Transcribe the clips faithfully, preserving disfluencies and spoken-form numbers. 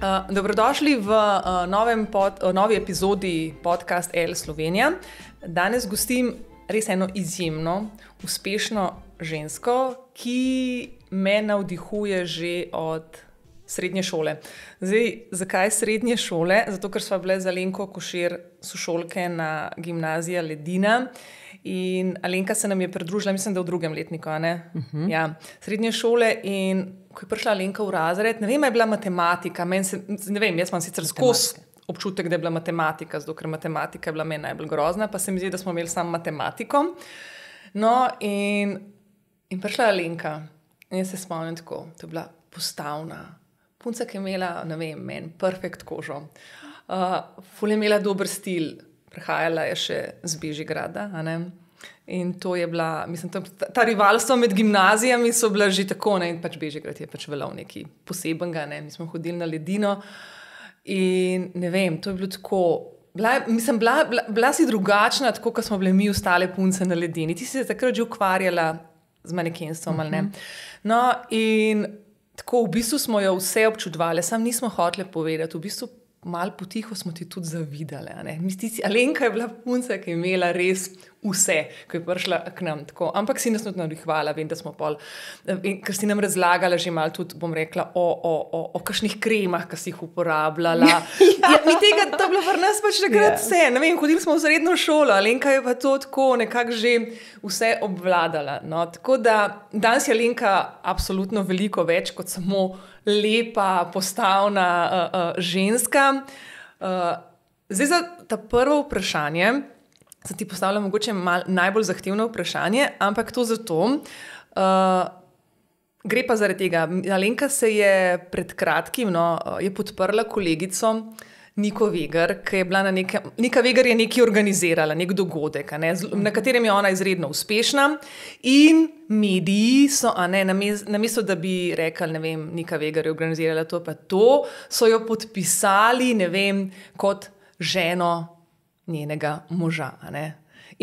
Uh, dobrodošli v uh, novem pod, uh, novi epizodi podcast L Slovenija. Danes gostim res eno izjemno, uspešno žensko, ki me navdihuje že od srednje šole. Zdaj, zakaj srednje šole? Zato, ker sva bile z Alenko Košir sošolke na gimnaziji Ledina. In Alenka se nam je pridružila, mislim, da v drugem letniku, a ne? Uh-huh. Ja, srednje šole in ko je prišla Alenka v razred, ne vem, je bila matematika, meni se, ne vem, jaz imam sicer skozi občutek, da je bila matematika, zato ker matematika je bila meni najbolj grozna, pa se mi zdi, da smo imeli samo matematiko. No, in, in prišla Alenka in jaz se spomnim tako, to je bila postavna, punca, ki je imela, ne vem, meni perfekt kožo, uh, ful je imela dober stil, prihajala je še z Bežigrada, a ne? In to je bila, mislim, ta, ta rivalstva med gimnazijami so bila že tako, ne? In pač Bežigrad je pač velal nekaj posebenega, ne? Mi smo hodili na Ledino in ne vem, to je bilo tako, bila, mislim, bila, bila, bila si drugačna, tako, kot smo bile mi ostale punce na Ledini. Ti si se takrat že ukvarjala z manekenstvom, ali ne? No, in tako, v bistvu smo jo vse občudovali, sam nismo hoteli povedati, v bistvu malo potiho smo ti tudi zavidali. Alenka je bila punca, ki je imela res vse, ko je prišla k nam. Tako. Ampak si nas tudi navdihvala, vem, da smo pol, ker si nam razlagala že malo tudi, bom rekla, o, o, o, o kakšnih kremah, ki si jih uporabljala. ja. Ja, mi tega, to je bilo v nas pač takrat vse. Ne vem, hodili smo v srednjo šolo, Alenka je pa to tako nekako že vse obvladala. No. Tako da danes je Alenka absolutno veliko več kot samo lepa, postavna uh, uh, ženska. Uh, zdaj za ta prvo vprašanje, se ti postavlja mogoče mal, najbolj zahtevno vprašanje, ampak to zato, uh, gre pa zaradi tega. Alenka se je pred kratkim, no, je podprla kolegico Niko Vegar, ki je bila na nekem, Nika Vegar je nekaj organizirala, nek dogodek, a ne, na katerem je ona izredno uspešna in mediji so, a ne, namesto da bi rekli, ne vem, Nika Vegar je organizirala to pa to, so jo podpisali, ne vem, kot ženo njenega moža, a ne.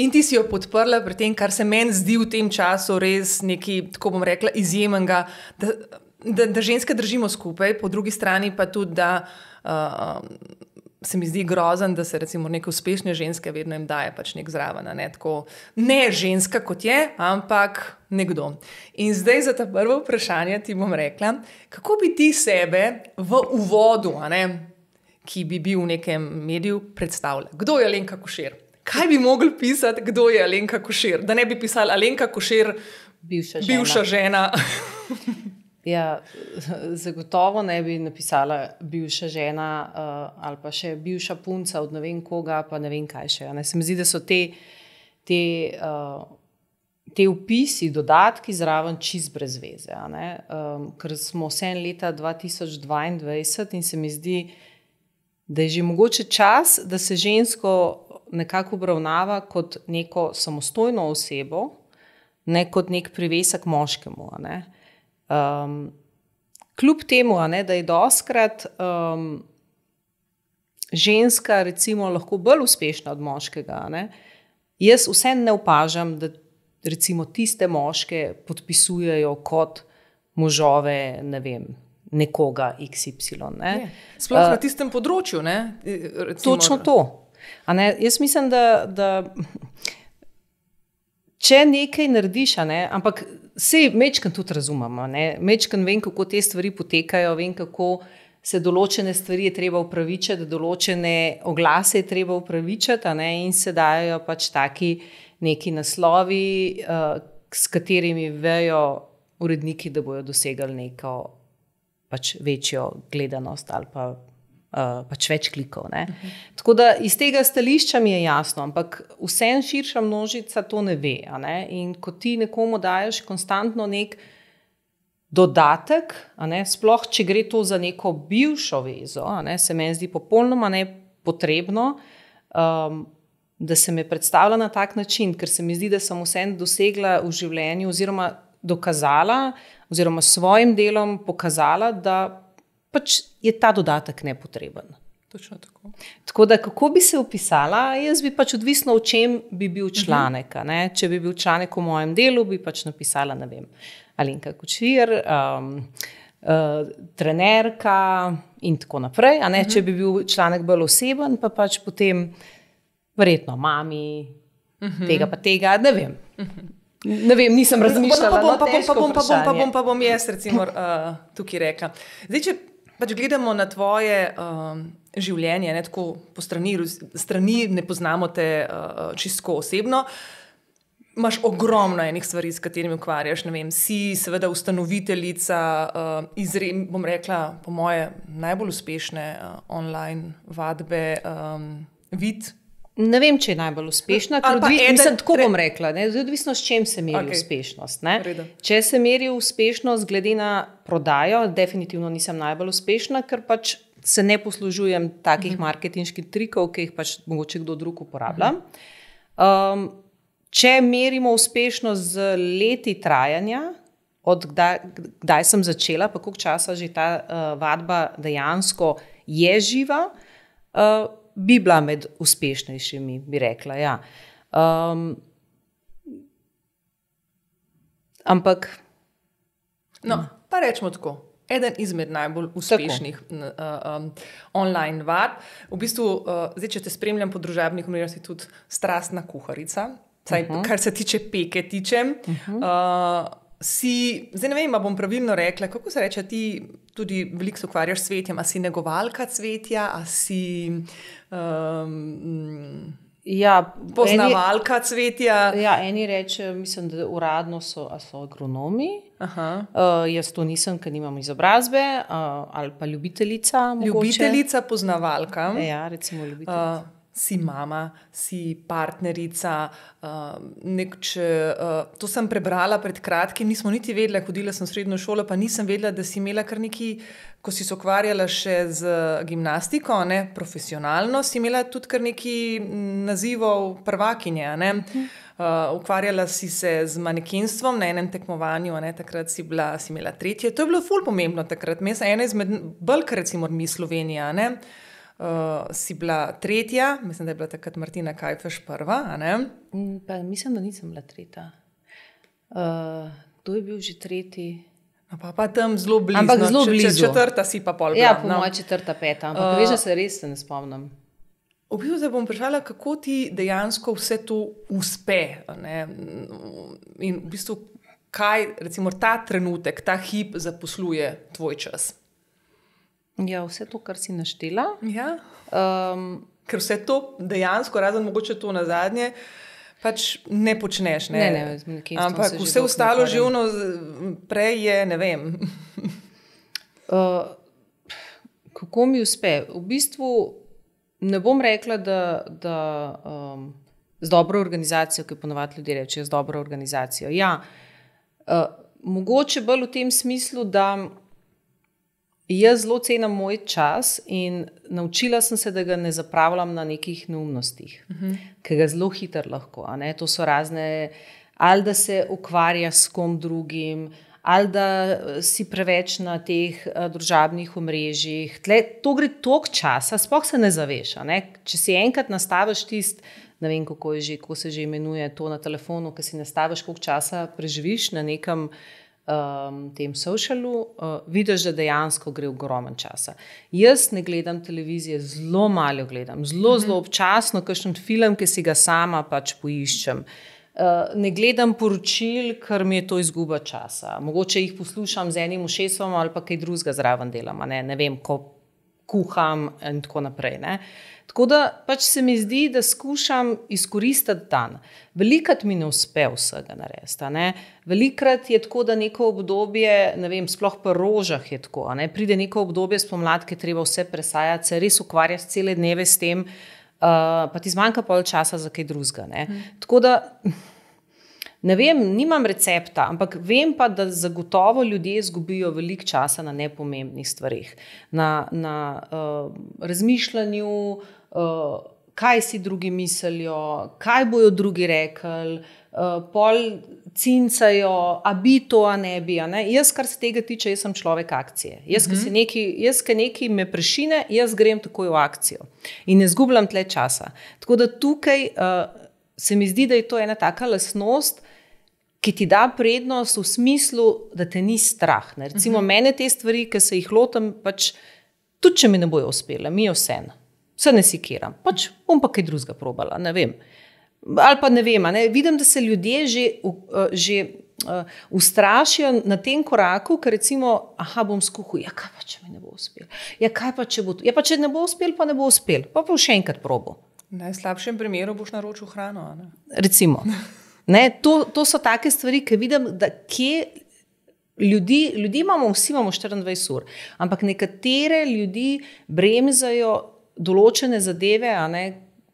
In ti si jo podprla pri tem, kar se meni zdi v tem času res nekaj, tako bom rekla, izjemnega, da, da, da ženske držimo skupaj, po drugi strani pa tudi, da Uh, se mi zdi grozen, da se recimo neke uspešne ženske vedno jim daje pač nek zraven, ne, tako, ne ženska kot je, ampak nekdo. In zdaj za ta prvo vprašanje ti bom rekla, kako bi ti sebe v uvodu, a ne, ki bi bil v nekem mediju, predstavljala? Kdo je Alenka Košir? Kaj bi mogli pisati, kdo je Alenka Košir? Da ne bi pisali Alenka Košir, bivša žena. Bivša žena. Ja, zagotovo ne bi napisala bivša žena uh, ali pa še bivša punca od ne vem koga, pa ne vem kaj še. Ne? Se mi zdi, da so te, te, uh, te vpisi, dodatki zraven čist brez veze. A ne? Um, ker smo vse leta dva tisoč dvaindvajset in se mi zdi, da je že mogoče čas, da se žensko nekako obravnava kot neko samostojno osebo, ne kot nek privesek moškemu, a ne. Um, kljub temu, a ne, da je doskrat um, ženska recimo lahko bolj uspešna od moškega, a ne, jaz vse ne opažam, da recimo tiste moške podpisujejo kot možove, ne vem, nekoga iks ipsilon. Ne. Sploh uh, na tistem področju, ne? Recimo, točno to. A ne, jaz mislim, da, da če nekaj narediš, a ne, ampak sej mečkan tudi razumem, ne, mečkan vem, kako te stvari potekajo, vem, kako se določene stvari je treba upravičiti, določene oglase je treba upravičiti, a ne, in se dajo pač taki neki naslovi, uh, s katerimi vejo uredniki, da bojo dosegali neko pač večjo gledanost ali pa Uh, pač več klikov. Ne? Uh-huh. Tako da iz tega stališča mi je jasno, ampak vsem širša množica to ne ve. A ne? In ko ti nekomu daješ konstantno nek dodatek, a ne? Sploh če gre to za neko bivšo vezo, a ne? Se meni zdi popolnoma nepotrebno, um, da se me predstavlja na tak način, ker se mi zdi, da sem vsem dosegla v življenju oziroma dokazala oziroma s svojim delom pokazala, da pač je ta dodatek nepotreben. Točno tako. Tako da, kako bi se opisala, jaz bi pač odvisno, v čem bi bil članek. A ne? Če bi bil članek v mojem delu, bi pač napisala, ne vem, Alenka Košir, um, uh, trenerka in tako naprej. A ne, uh-huh. Če bi bil članek bolj oseben, pa pač potem verjetno mami, uh-huh. tega pa tega, ne vem. Uh-huh. Ne vem, nisem razmišljala. Pa bom, pa bom, pa bom, pa bom, pa bom, pa bom jaz recimo uh, tukaj rekla. Zdaj, če pač gledamo na tvoje uh, življenje, ne tako po strani, strani ne poznamo te uh, čisto osebno, imaš ogromno enih stvari, s katerimi ukvarjaš, ne vem, si seveda ustanoviteljica, uh, izrem, bom rekla, po moje najbolj uspešne uh, online vadbe um, Vid. Ne vem, če je najbolj uspešna, ker odvisno, eden, mislim, tako bom rekla, ne, odvisno s čem se meri okay. uspešnost. Ne. Če se meri uspešnost glede na prodajo, definitivno nisem najbolj uspešna, ker pač se ne poslužujem takih uh-huh. marketinških trikov, ki jih pač mogoče kdo drug uporablja. Um, Če merimo uspešnost z leti trajanja, od kdaj, kdaj sem začela, pa koliko časa že ta uh, vadba dejansko je živa, uh, bi bila med uspešnejšimi, bi rekla. Ja. Um, ampak. No, pa rečemo tako. Eden izmed najbolj uspešnih uh, um, online vadb. V bistvu, uh, zdaj, če te spremljam po družabnih omrežjih, si tudi strastna kuharica. Saj, uh-huh. Kar se tiče peke tiče, uh-huh. uh, si, zdaj ne vem, bom pravilno rekla, kako se reče, ti tudi veliko se ukvarjaš s cvetjem, a si negovalka cvetja, a si um, ja, poznavalka eni, cvetja? Ja, eni reče, mislim, da uradno so, so agronomi, uh, jaz to nisem, ker nimam izobrazbe, uh, ali pa ljubiteljica. Mogoče. Ljubiteljica, poznavalka. Ja, recimo ljubiteljica. Uh, Si mama, si partnerica, uh, nek, če, uh, to sem prebrala pred kratkim, nismo niti vedela, hodila sem v srednjo šolo, pa nisem vedela, da si imela kar neki, ko si se ukvarjala še z gimnastiko, ne, profesionalno, si imela tudi kar neki nazivov prvakinje, ne. Uh, ukvarjala si se z manekenstvom na enem tekmovanju, ne, takrat si, bila, si imela tretje, to je bilo ful pomembno takrat, me sem ena izmed bolj, recimo, mi Slovenija, ne. Uh, si bila tretja, mislim, da je bila takrat Martina Kajfeš prva, a ne? Pa mislim, da nisem bila tretja. Uh, kdo je bil že tretji? No, pa, pa tam zelo blizu. Ampak zelo blizu. Četrta si pa pol bila. Ja, po no. moja četrta, peta. Ampak uh, veš, da se res se ne spomnim. V bistvu se bom vprašala, kako ti dejansko vse to uspe. Ne? In v bistvu, kaj recimo ta trenutek, ta hip zaposluje tvoj čas? Ja, vse to, kar si naštela. Ja. Um, ker vse to dejansko, razen mogoče to na zadnje, pač ne počneš. Ne, ne, ne, ampak vse ostalo živno prej je, ne vem. uh, kako mi uspe? V bistvu ne bom rekla, da, da um, z dobro organizacijo, ki ponovadi ljudje rečejo, z dobro organizacijo. Ja, uh, mogoče bolj v tem smislu, da jaz zelo cenim moj čas in naučila sem se, da ga ne zapravljam na nekih neumnostih, uh-huh. ker ga zelo hitro lahko. A ne? To so razne, ali da se ukvarja s kom drugim, ali da si preveč na teh uh, družabnih omrežjih. Tle, to gre toliko časa, sploh se ne zaveš. A ne? Če si enkrat nastaviš tist, ne vem, kako, je že, kako se že imenuje to na telefonu, ki si nastaviš, koliko časa preživiš na nekem Um, tem socialu, uh, vidiš, da dejansko gre ogromen časa. Jaz ne gledam televizije, zelo malo gledam, zelo, zelo občasno, kakšen film, ki si ga sama pač poiščem. Uh, ne gledam poročil, ker mi je to izguba časa. Mogoče jih poslušam z enim ušesom ali pa kaj drugega zraven delam, ne, ne vem, ko kuham in tako naprej. Ne. Tako da pač se mi zdi, da skušam izkoristiti dan. Velikrat mi ne uspe vsega narediti. Velikrat je tako, da neko obdobje, ne vem, sploh pa rožah je tako, ne? Pride neko obdobje spomladke, treba vse presajati, se res ukvarjati cele dneve s tem, uh, pa ti zmanjka pol časa za kaj drugega. Hmm. Tako da, ne vem, nimam recepta, ampak vem pa, da zagotovo ljudje izgubijo veliko časa na nepomembnih stvarih, na, na uh, razmišljanju, uh, kaj si drugi mislijo, kaj bojo drugi rekli, uh, pol cincajo, a bi to, a ne bi. A ne? Jaz, kar se tega tiče, jaz sem človek akcije. Jaz, ki mm-hmm. neki, jaz, ki nekaj me prešine, jaz grem takoj v akcijo in ne zgubljam tle časa. Tako da tukaj uh, se mi zdi, da je to ena taka lastnost, ki ti da prednost v smislu, da te ni strah. Ne? Recimo uh-huh. mene te stvari, ki se jih lotam, pač tudi če mi ne bojo uspele, mi je vseeno. Se ne sikiram. Pač bom pa kaj drugega probala, ne vem. Ali pa ne vem, ne? Vidim, da se ljudje že, uh, že uh, ustrašijo na tem koraku, ker recimo, aha, bom skuhal, ja kaj pa, če mi ne bo uspel? Ja kaj pa, če bo to? Ja pa, če ne bo uspel, pa ne bo uspel. Pa pa še enkrat probo. V najslabšem primeru boš naročil hrano, ne? Recimo. Ne, to, to so take stvari, ki vidim, da kje ljudi, ljudi imamo, vsi imamo štiriindvajset ur, ampak nekatere ljudi bremzajo določene zadeve, a ne,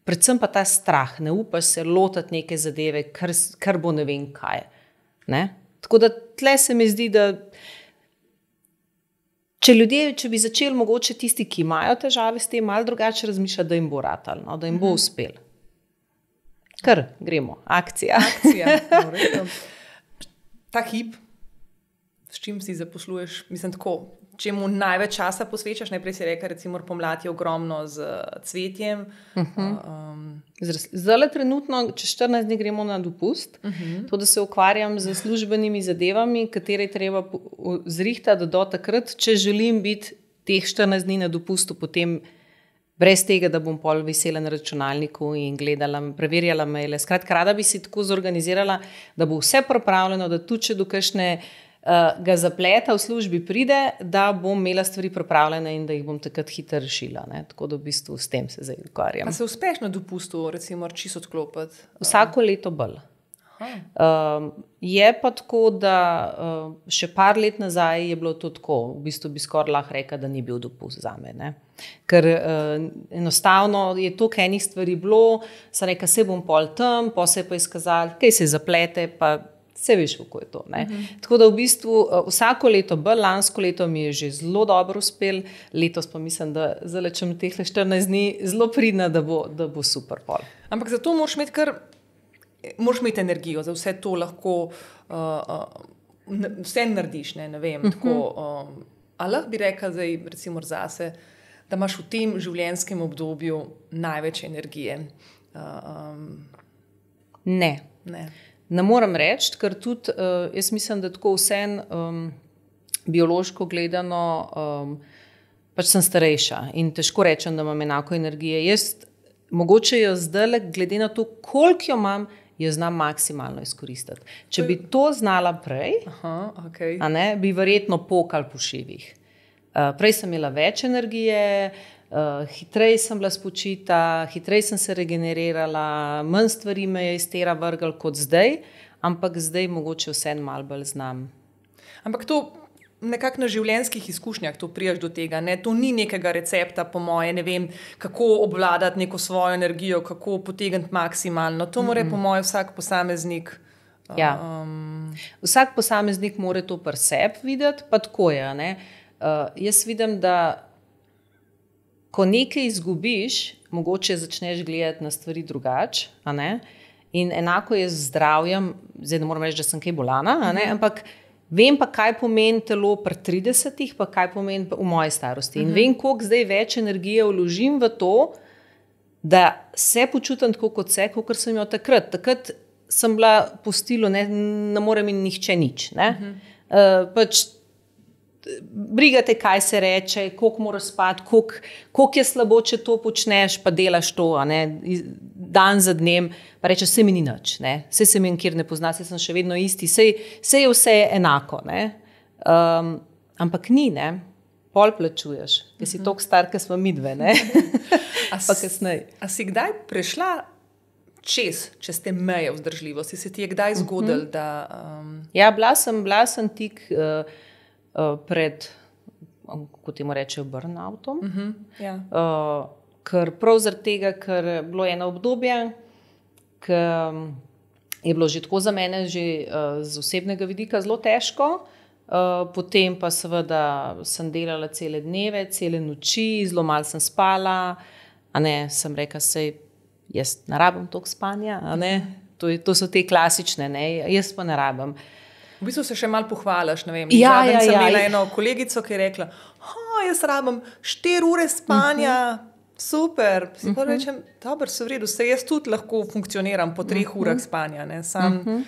predvsem pa ta strah, ne upaš se lotati neke zadeve, kar, kar bo ne vem kaj. Ne? Tako da tle se mi zdi, da če ljudje, če bi začeli mogoče tisti, ki imajo težave s tem, malo drugače razmišljati, da jim bo ratal, no, da jim bo uspel. Kar, gremo, akcija. Akcija. Ta hip, s čim si zaposluješ, mislim tako, čemu največ časa posvečaš, najprej si rekel, recimo pomlad je ogromno z cvetjem. Uh-huh. Um, Zdaj trenutno, čez štirinajst dni gremo na dopust, uh-huh. to, da se ukvarjam z službenimi zadevami, katere je treba zrihtati do takrat, če želim biti teh štirinajst dni na dopustu, potem brez tega, da bom pol visela na računalniku in gledala, preverjala maile. Skratka, rada bi si tako zorganizirala, da bo vse pripravljeno, da tudi če do kakšne uh, ga zapleta v službi pride, da bom imela stvari pripravljene in da jih bom takrat hitro rešila. Ne? Tako da v bistvu s tem se zdaj ukvarjam. A se uspeš na dopustu, recimo, čisto odklopiti? Vsako leto bolj. Um, je pa tako, da uh, še par let nazaj je bilo to tako, v bistvu bi skoraj lahko rekla, da ni bil dopust zame, ne? Ker uh, enostavno je toliko enih stvari bilo, sem rekla, se bom pol tam, pa se je pa izkazali, kaj se zaplete, pa se veš, kako je to. Ne? Uh-huh. Tako da v bistvu uh, vsako leto bolj, lansko leto mi je že zelo dobro uspel, letos pa mislim, da zdaj če mi teh štirinajst dni zelo pridna, da bo, da bo super pol. Ampak zato moraš imeti kar moraš imeti energijo, za vse to lahko uh, uh, vse narediš, ne, ne vem, uh-huh. tako, um, a lahko bi rekla zdaj, recimo zase, da imaš v tem življenjskem obdobju največ energije? Uh, um, ne. Ne. Ne moram reči, ker tudi, uh, jaz mislim, da tako vsem um, biološko gledano um, pač sem starejša in težko rečem, da imam enako energije. Jaz mogoče jo zdaj, glede na to, koliko jo imam, jo znam maksimalno izkoristiti. Če bi to znala prej, Aha, okay. a ne, bi verjetno pokal po šivih. Uh, prej sem imela več energije, uh, hitreje sem bila spočita, hitreje sem se regenerirala, manj stvari me je iz tera vrgal kot zdaj, ampak zdaj mogoče vsem malo bolj znam. Ampak to nekako na življenjskih izkušnjah to prijaš do tega, ne? To ni nekega recepta, po moje, ne vem, kako obvladati neko svojo energijo, kako potegniti maksimalno. To mora, mm-hmm. po moje, vsak posameznik. Ja. Um... Vsak posameznik mora to pri sebi videti, pa tako je. Ne? Uh, jaz vidim, da ko nekaj izgubiš, mogoče začneš gledati na stvari drugače, a ne? In enako je z zdravjem, zdaj ne moram reči, da sem kaj bolana, a ne? Mm-hmm. Ampak vem pa, kaj pomeni telo pri tridesetih, pa kaj pomeni v moji starosti. In uh-huh. vem, koliko zdaj več energije vložim v to, da se počutim tako kot se, kot sem jo takrat. Takrat sem bila po stilu, ne, ne more mi nihče nič. Ne? Uh-huh. Uh, pač brigate, kaj se reče, koliko moraš spati, koliko, koliko je slabo, če to počneš, pa delaš to, a ne, dan za dnem, pa rečeš, se mi ni nič, ne, se se mi nikjer ne pozna, se sem še vedno isti, se, se je vse enako, ne, um, ampak ni, ne, pol plačuješ, ker si toliko star, ker smo midve, ne, pa kasneje. A si kdaj prešla čez, čez te meje vzdržljivosti, se ti je kdaj zgodilo, uh-huh. da... Um... Ja, bila sem, bila sem tik... Uh, pred, kako temu rečejo, burnoutom. Uh-huh, ja. uh, ker prav zaradi tega, ker je bilo eno obdobje, ker je bilo že tako za mene že uh, z osebnega vidika zelo težko, uh, potem pa seveda sem delala cele dneve, cele noči, zelo malo sem spala, a ne, sem rekla, sej jaz ne rabim toliko spanja, a ne, to, je, to so te klasične, ne, jaz pa ne rabim. V bistvu se še malo pohvalaš, ne vem. Ja, Zadnjič ja, sem ja. imela eno kolegico, ki je rekla, jaz rabim štiri ure spanja, uh-huh. super. Si pa uh-huh. rečem, dobro, se v redu, se jaz tudi lahko funkcioniram po treh uh-huh. urah spanja. Ne? Sam... Uh-huh.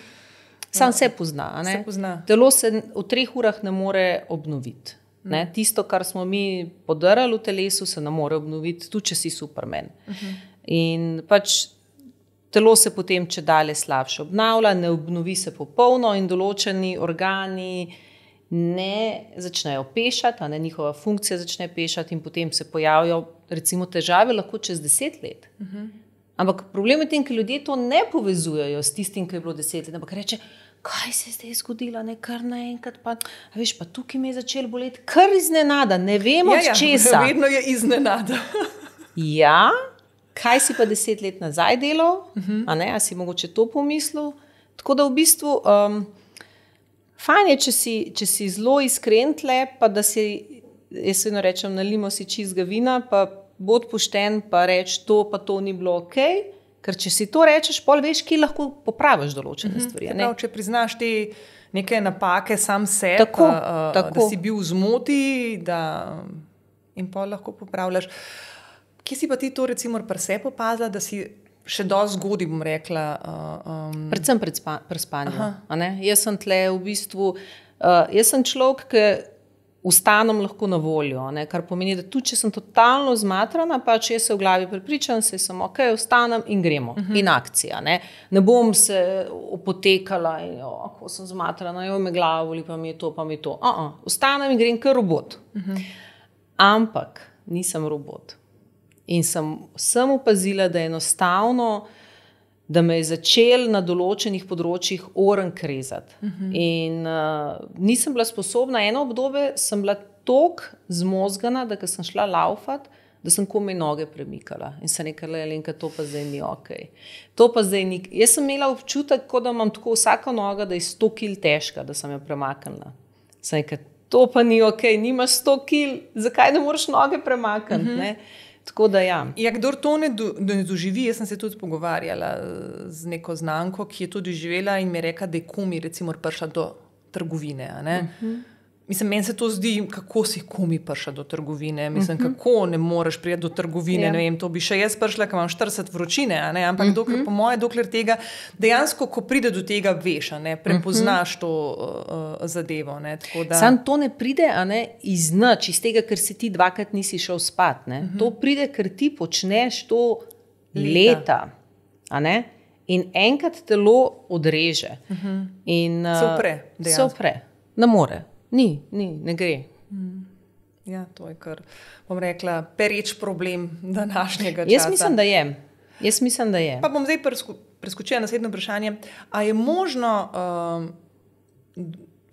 Sam se pozna. Se pozna. Telo se v treh urah ne more obnoviti. Ne? Tisto, kar smo mi podarali v telesu, se ne more obnoviti, tudi če si Superman. Uh-huh. In pač telo se potem če dalje slabše obnavlja, ne obnovi se popolno in določeni organi ne začnejo pešati, a ne, njihova funkcija začne pešati in potem se pojavijo recimo težave lahko čez deset let. Uh-huh. Ampak problem je tem, ker ljudje to ne povezujejo s tistim, ki je bilo deset let, ampak reče, kaj se je zdaj zgodilo, ne, kar naenkrat pa, a veš, pa tukaj me je začel boleti, kar iznenada, ne vemo ja, od česa. Ja, vedno je iznenada. Ja, kaj si pa deset let nazaj delal, uh-huh. a ne, a si mogoče to pomislil, tako da v bistvu um, fajn je, če si, če si zelo iskren tle, pa da si, jaz vedno rečem, nalimo si čistega vina, pa bod pošten, pa reč to, pa to ni bilo okej, okay. Ker če si to rečeš, pol veš, ki lahko popraviš določene mm-hmm. stvari. Prav, če priznaš te neke napake sam sebi, tako, uh, tako. Da si bil v zmoti, da in pol lahko popravljaš. Kje si pa ti to recimo pri sebi opazila, da si še dosti zgodaj, bom rekla? Uh, um... Predvsem pred spa, pri spanju. Jaz sem tle v bistvu, uh, jaz sem človek, ki vstanem lahko na voljo, ne? Kar pomeni, da tudi če sem totalno zmatrana, pa če se v glavi prepričam, se sem ok, vstanem in gremo. Uh-huh. In akcija. Ne? Ne bom se opotekala in jo, ko sem zmatrana, jo me glavo, ali pa mi je to, pa mi je to. Uh-uh. Vstanem in grem kot robot. Uh-huh. Ampak nisem robot. In sem, sem opazila, da je enostavno, da me je začel na določenih področjih oren krezati. Uh-huh. In uh, nisem bila sposobna, eno obdobje sem bila toliko zmozgana, da ko sem šla laufat, da sem komaj noge premikala. In sem rekla, Alenka, to pa zdaj ni okej. To pa zdaj ni. Jaz sem imela občutek, kot da imam tako vsaka noga, da je sto kil težka, da sem jo premaknila. Sem rekla, to pa ni okej, nimaš sto kil, zakaj ne moreš noge premakniti, uh-huh. ne? Tako da ja. Ja, kdor to ne, do, ne doživi, jaz sem se tudi pogovarjala z neko znanko, ki je to doživela in mi je rekla, da je komi recimo prišla do trgovine. A ne? Uh-huh. Mislim, meni se to zdi, kako si komi prišla do trgovine. Mislim, uh-huh. kako ne moreš priti do trgovine. Ja. Ne vem, to bi še jaz prišla, ker imam štirideset vročine, a ne? Ampak uh-huh. dokler, po moje, dokler tega, dejansko, ko pride do tega, veš, a ne? Prepoznaš uh-huh. to uh, zadevo. Ne? Tako da... Sam to ne pride, a ne, iz nič, iz tega, ker si ti dvakrat nisi šel spat. Ne? Uh-huh. To pride, ker ti počneš to leta, leta a ne? In enkrat telo odreže. Uh-huh. In, uh, se upre, dejansko. Se upre, ne more. Ni, ni, ne gre. Hmm. Ja, to je kar, bom rekla, pereč problem današnjega časa. Jaz mislim, da je. Jaz mislim, da je. Pa bom zdaj presku, preskočila naslednje vprašanje. A je možno, um,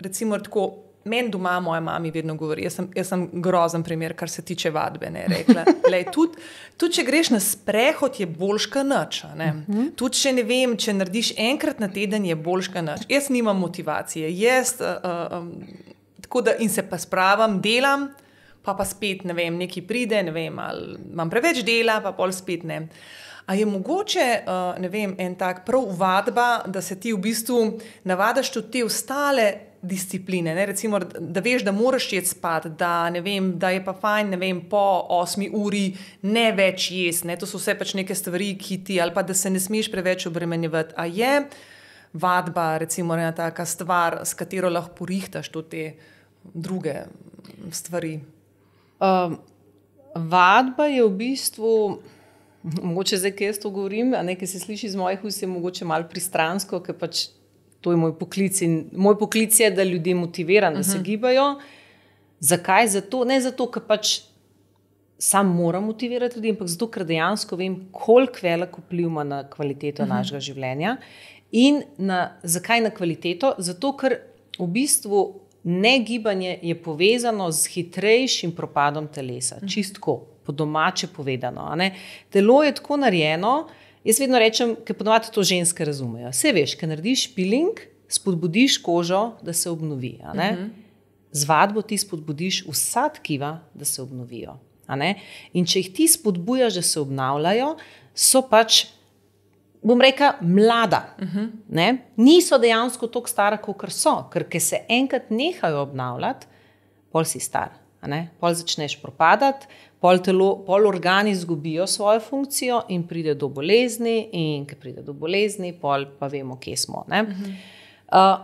recimo tako, meni doma moja mami vedno govori, jaz sem, jaz sem grozen primer, kar se tiče vadbe, ne, rekla. Lej, tudi, tudi če greš na sprehod, je boljška nič. Ne? Uh-huh. Tudi če ne vem, če narediš enkrat na teden, je boljška nič. Jaz nimam motivacije. Jaz, uh, um, tako da in se pa spravim, delam, pa pa spet, ne vem, nekaj pride, ne vem, ali imam preveč dela, pa pol spet ne. A je mogoče, uh, ne vem, en tak prav vadba, da se ti v bistvu navadaš tudi te ostale discipline, ne? Recimo, da veš, da moraš jeti spat, da, ne vem, da je pa fajn, ne vem, po osmi uri ne več jesti, ne? To so vse pač neke stvari, ki ti, ali pa da se ne smeš preveč obremenjevati. A je vadba, recimo, ena taka stvar, s katero lahko porihtaš tudi te druge stvari? Um, vadba je v bistvu, mogoče zdaj, kaj jaz to govorim, a nekaj se sliši iz mojih ust, je mogoče malo pristransko, ker pač to je moj poklic in moj poklic je, da ljudi motiviram, da uh-huh. se gibajo. Zakaj? Zato, ne zato, ker pač sam moram motivirati ljudi, ampak zato, ker dejansko vem, koliko velik vpliv ima na kvaliteto uh-huh. našega življenja. In na, zakaj na kvaliteto? Zato, ker v bistvu negibanje je povezano z hitrejšim propadom telesa. Uh-huh. Čistko, po domače povedano. A ne? Telo je tako narejeno, jaz vedno rečem, ker ponovadi to ženske razumejo. Saj veš, ker narediš peeling, spodbudiš kožo, da se obnovi. A ne? Uh-huh. Z vadbo ti spodbudiš vsa tkiva, da se obnovijo. A ne? In če jih ti spodbujaš, da se obnavljajo, so pač, bom rekla, mlada. Uh-huh. Ne? Niso dejansko toliko stara, kakor so, ker ker se enkrat nehajo obnavljati, pol si star. A ne? Pol začneš propadati, pol, telo, pol organi izgubijo svojo funkcijo in pride do bolezni in ker pride do bolezni, pol pa vemo, kje smo. Ne? Uh-huh. Uh,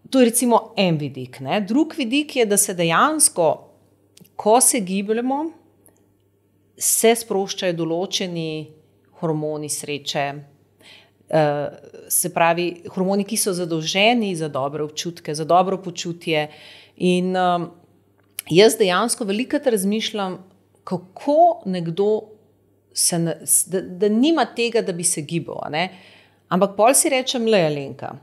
to je recimo en vidik. Ne? Drug vidik je, da se dejansko, ko se gibljamo, se sproščajo določeni hormoni sreče, uh, se pravi, hormoni, ki so zadolženi za dobre občutke, za dobro počutje. In um, jaz dejansko velikokrat razmišljam, kako nekdo se, da, da nima tega, da bi se gibal. Ne? Ampak pol si rečem, le Alenka,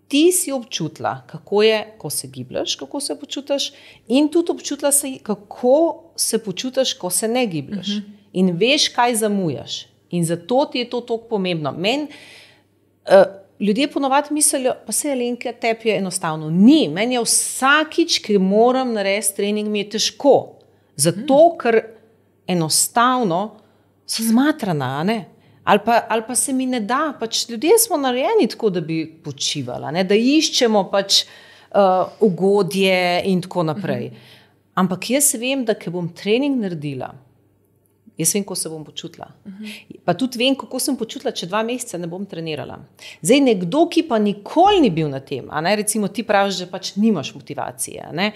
ti si občutila, kako je, ko se gibljaš, kako se počutiš, in tudi občutila si, kako se počutiš, ko se ne gibljaš. Uh-huh. In veš, kaj zamujaš. In zato ti je to toliko pomembno. Meni uh, ljudje ponovadi mislijo, pa se Alenka, tebi je enostavno. Ni, meni je vsakič, ki moram narediti trening, mi je težko. Zato, uh-huh. ker enostavno so zmatrana, a ne? Ali pa, ali pa se mi ne da, pač ljudje smo narejeni tako, da bi počivala, ne? Da iščemo pač uh, ugodje in tako naprej. Uh-huh. Ampak jaz vem, da ko bom trening naredila, jaz vem, kako se bom počutila. Uh-huh. Pa tudi vem, kako sem počutila, če dva meseca ne bom trenirala. Zdaj, nekdo, ki pa nikoli ni bil na tem, a ne? Recimo ti praviš, da pač nimaš motivacije, a ne?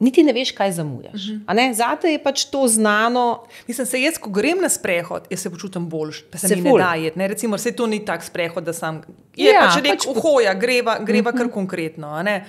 Niti ne veš, kaj zamujaš. Uh-huh. Zate je pač to znano. Mislim, se jaz, ko grem na sprehod, jaz se počutim boljš, pa se, se mi ful. Ne da jeti. Recimo, se to ni tak sprehod, da sam... Je ja, pač nek pač uhoja, greva, greva uh-huh. kar konkretno. A ne?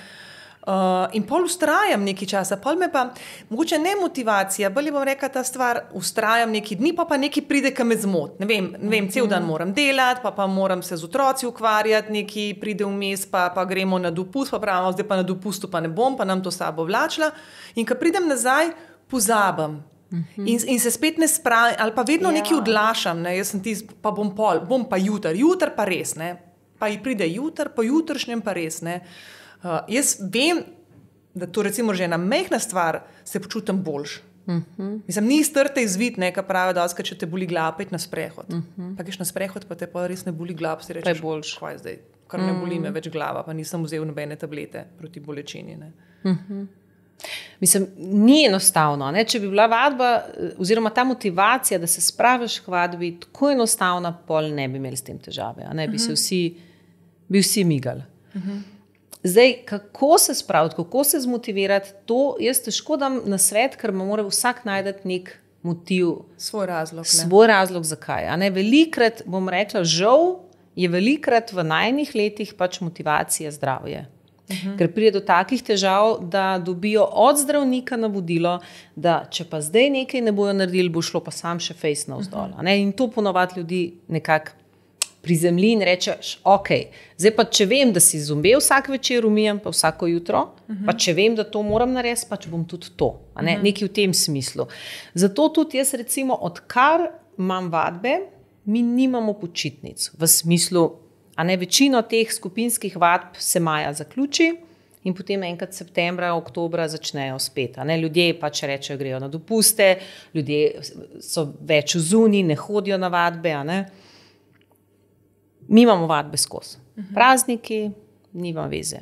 Uh, in pol ustrajam nekaj časa, pol me pa, mogoče ne motivacija, bolj bom rekla ta stvar, ustrajam nekaj dni, pa pa nekaj pride, ki me zmot. Ne vem, ne vem, cel dan moram delati, pa pa moram se z otroci ukvarjati, nekaj pride vmes, pa, pa gremo na dopust, pa pravimo, zdaj pa na dopustu pa ne bom, pa nam to sabo vlačila. In ko pridem nazaj, pozabam. In, in se spet ne spravim, ali pa vedno ja. Nekaj odlašam, ne? Jaz sem tis, pa bom pol, bom pa jutar, jutar pa res, ne? Pa ji pride jutar, po jutršnjem pa res, ne? Uh, jaz vem, da to recimo že ena majhna stvar, se počutim boljš. Uh-huh. Mislim, ni strte izvid, ne, kar pravi, da če te boli glava, pet na sprehod. Uh-huh. Pa greš na sprehod, pa te pa res ne boli glava, si rečeš, kaj zdaj, kar ne boli me več glava, pa nisem vzel nobene tablete proti bolečini. Ne. Uh-huh. Mislim, ni enostavno, ne? Če bi bila vadba, oziroma ta motivacija, da se spraviš k vadbi, tako enostavna, pol ne bi imeli s tem težave, a ne bi uh-huh. se vsi, bi vsi migali. Uh-huh. Zdaj, kako se spraviti, kako se zmotivirati, to jaz težko dam na svet, ker mora vsak najdeti nek motiv. Svoj razlog. Ne? Svoj razlog, zakaj. A ne, velikrat, bom rekla, žal je velikrat v najnih letih pač motivacija zdravje. Uh-huh. Ker pride do takih težav, da dobijo od zdravnika navodilo, da če pa zdaj nekaj ne bojo naredili, bo šlo pa sam še fejs navzdol. Uh-huh. In to ponovadi ljudi nekako prizemlji in rečeš, ok, zdaj pa če vem, da si zombe vsak večer umijem, pa vsako jutro, uh-huh. pa če vem, da to moram narediti, pa če bom tudi to, a ne? Uh-huh. Nekaj v tem smislu. Zato tudi jaz recimo, odkar imam vadbe, mi nimamo počitnic, v smislu, a ne, večino teh skupinskih vadb se maja zaključi in potem enkrat septembra, oktobra začnejo spet. A ne? Ljudje pač rečejo, grejo na dopuste, ljudje so več zunaj, ne hodijo na vadbe, a ne. Mi imamo vadbe skozi. Uh-huh. Prazniki, nima veze.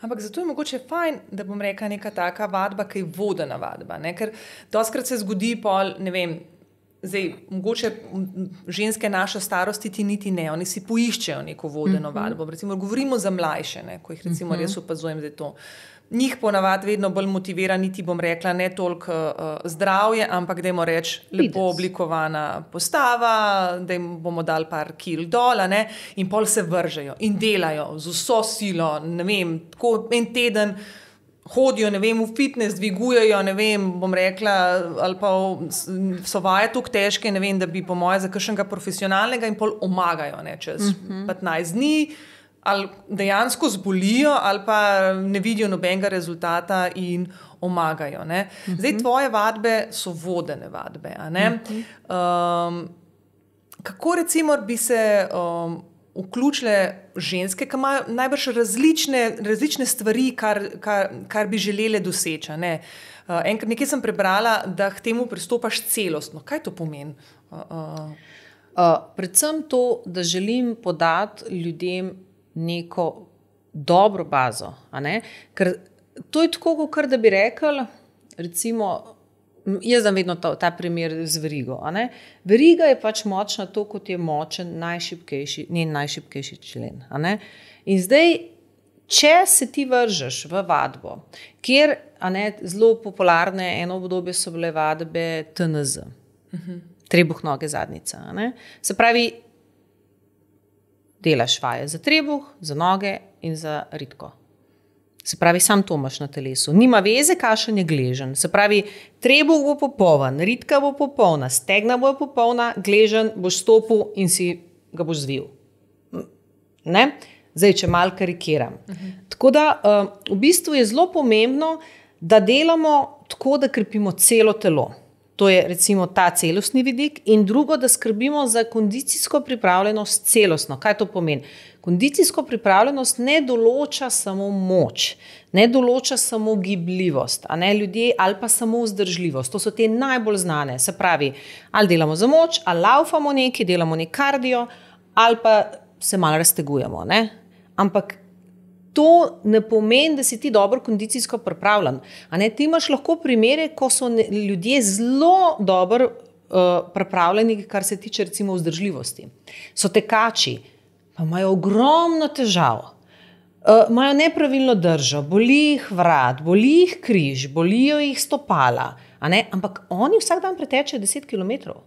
Ampak zato je mogoče fajn, da bom rekla neka taka vadba, ki je vodena vadba. Ne? Ker dostikrat se zgodi pol, ne vem, zdaj, mogoče ženske naše starosti ti niti ne, oni si poiščejo neko vodeno uh-huh. vadbo. Recimo, govorimo za mlajše, ne? Ko jih recimo uh-huh. res opazujem, da je to. Njih ponavadi vedno bolj motivira, niti bom rekla, ne toliko uh, zdravje, ampak dajmo reči lepo oblikovana postava, da jim bomo dali par kil dol, ne, in pol se vržejo in delajo z vso silo, ne vem, tako en teden hodijo, ne vem, v fitness, dvigujejo, ne vem, bom rekla, ali pa so vaje toliko težke, ne vem, da bi po moje za kakšnega profesionalnega in pol omagajo, ne, čez uh-huh. petnajst dni, ali dejansko zbolijo, ali pa ne vidijo nobenega rezultata in omagajo. Ne? Uh-huh. Zdaj, tvoje vadbe so vodene vadbe. A ne? Uh-huh. Um, kako recimo bi se um, vključile ženske, ki imajo najbrž različne, različne stvari, kar, kar, kar bi želele doseči. Ne? Uh, enkrat nekaj sem prebrala, da k temu pristopaš celostno. Kaj to pomeni? Uh, uh. Uh, predvsem to, da želim podati ljudem neko dobro bazo, a ne? Ker to je tako, kot da bi rekel, recimo, Jaz dam vedno ta, ta primer z verigo. A ne? Veriga je pač močna to, kot je močen najšibkejši, njen najšibkejši člen. A ne? In zdaj, če se ti vržeš v vadbo, kjer a ne, zelo popularne eno obdobje so bile vadbe T N Z, uh-huh. trebuh, noge, zadnica. A ne? Se pravi, delaš vaje za trebuh, za noge in za ritko. Se pravi, sam to imaš na telesu. Nima veze, kakšen je gležen. Se pravi, trebuh bo popoln, ritka bo popolna, stegna bo popolna, gležen boš stopil in si ga boš zvil. Ne? Zdaj, če malo karikiram. Uh-huh. Tako da, uh, v bistvu je zelo pomembno, da delamo tako, da krepimo celo telo. To je recimo ta celostni vidik in drugo, da skrbimo za kondicijsko pripravljenost celostno. Kaj to pomeni? Kondicijsko pripravljenost ne določa samo moč, ne določa samo gibljivost, a ne ljudje, ali pa samo vzdržljivost. To so te najbolj znane. Se pravi, ali delamo za moč, ali laufamo nekaj, delamo nek kardio, ali pa se malo raztegujemo. Ne? Ampak to ne pomeni, da si ti dobro kondicijsko pripravljen. A ne, ti imaš lahko primere, ko so ne, ljudje zelo dobro uh, pripravljeni, kar se tiče recimo vzdržljivosti. So tekači, pa imajo ogromno težav, uh, imajo nepravilno držo, boli jih vrat, boli jih križ, bolijo jih stopala, a ne? Ampak oni vsak dan pretečejo deset kilometrov.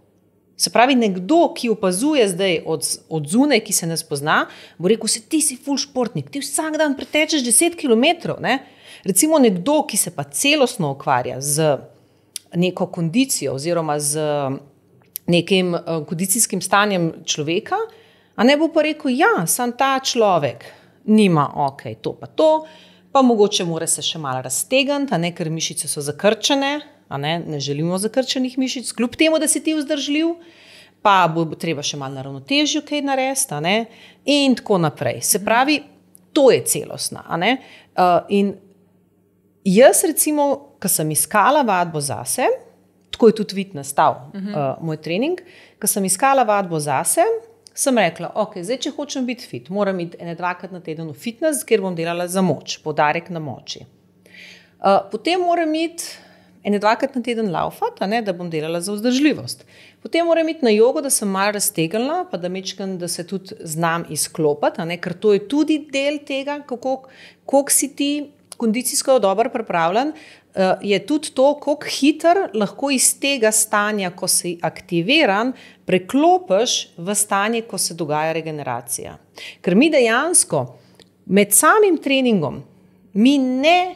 Se pravi, nekdo, ki opazuje zdaj od, od zunaj, ki se ne spozna, bo rekel, se ti si ful športnik, ti vsak dan pretečeš deset kilometrov. Ne? Recimo nekdo, ki se pa celostno ukvarja z neko kondicijo oziroma z nekim uh, kondicijskim stanjem človeka, a ne bo pa rekel, ja, sam ta človek nima, ok, to pa to, pa mogoče mora se še malo raztegniti, a ne, ker mišice so zakrčene, a ne, ne želimo zakrčenih mišic, kljub temu, da si ti vzdržljiv, pa bo treba še malo na ravnotežju kaj narediti, a ne, in tako naprej. Se pravi, to je celostna, a ne. Uh, in jaz recimo, ko sem iskala vadbo zase, tako je tudi vid nastal uh-huh. uh, moj trening, ko sem iskala vadbo zase, sem rekla, ok, zdaj, če hočem biti fit, moram iti ene dvakrat na teden v fitness, kjer bom delala za moč, poudarek na moči. Uh, potem moram iti ene dvakrat na teden laufati, da bom delala za vzdržljivost. Potem moram iti na jogo, da sem malo raztegnila, pa da mečkam, da se tudi znam izklopiti, ker to je tudi del tega, kako, koliko si ti kondicijsko dobro pripravljen, je tudi to, koliko hiter lahko iz tega stanja, ko si aktiviran, preklopiš v stanje, ko se dogaja regeneracija. Ker mi dejansko med samim treningom mi ne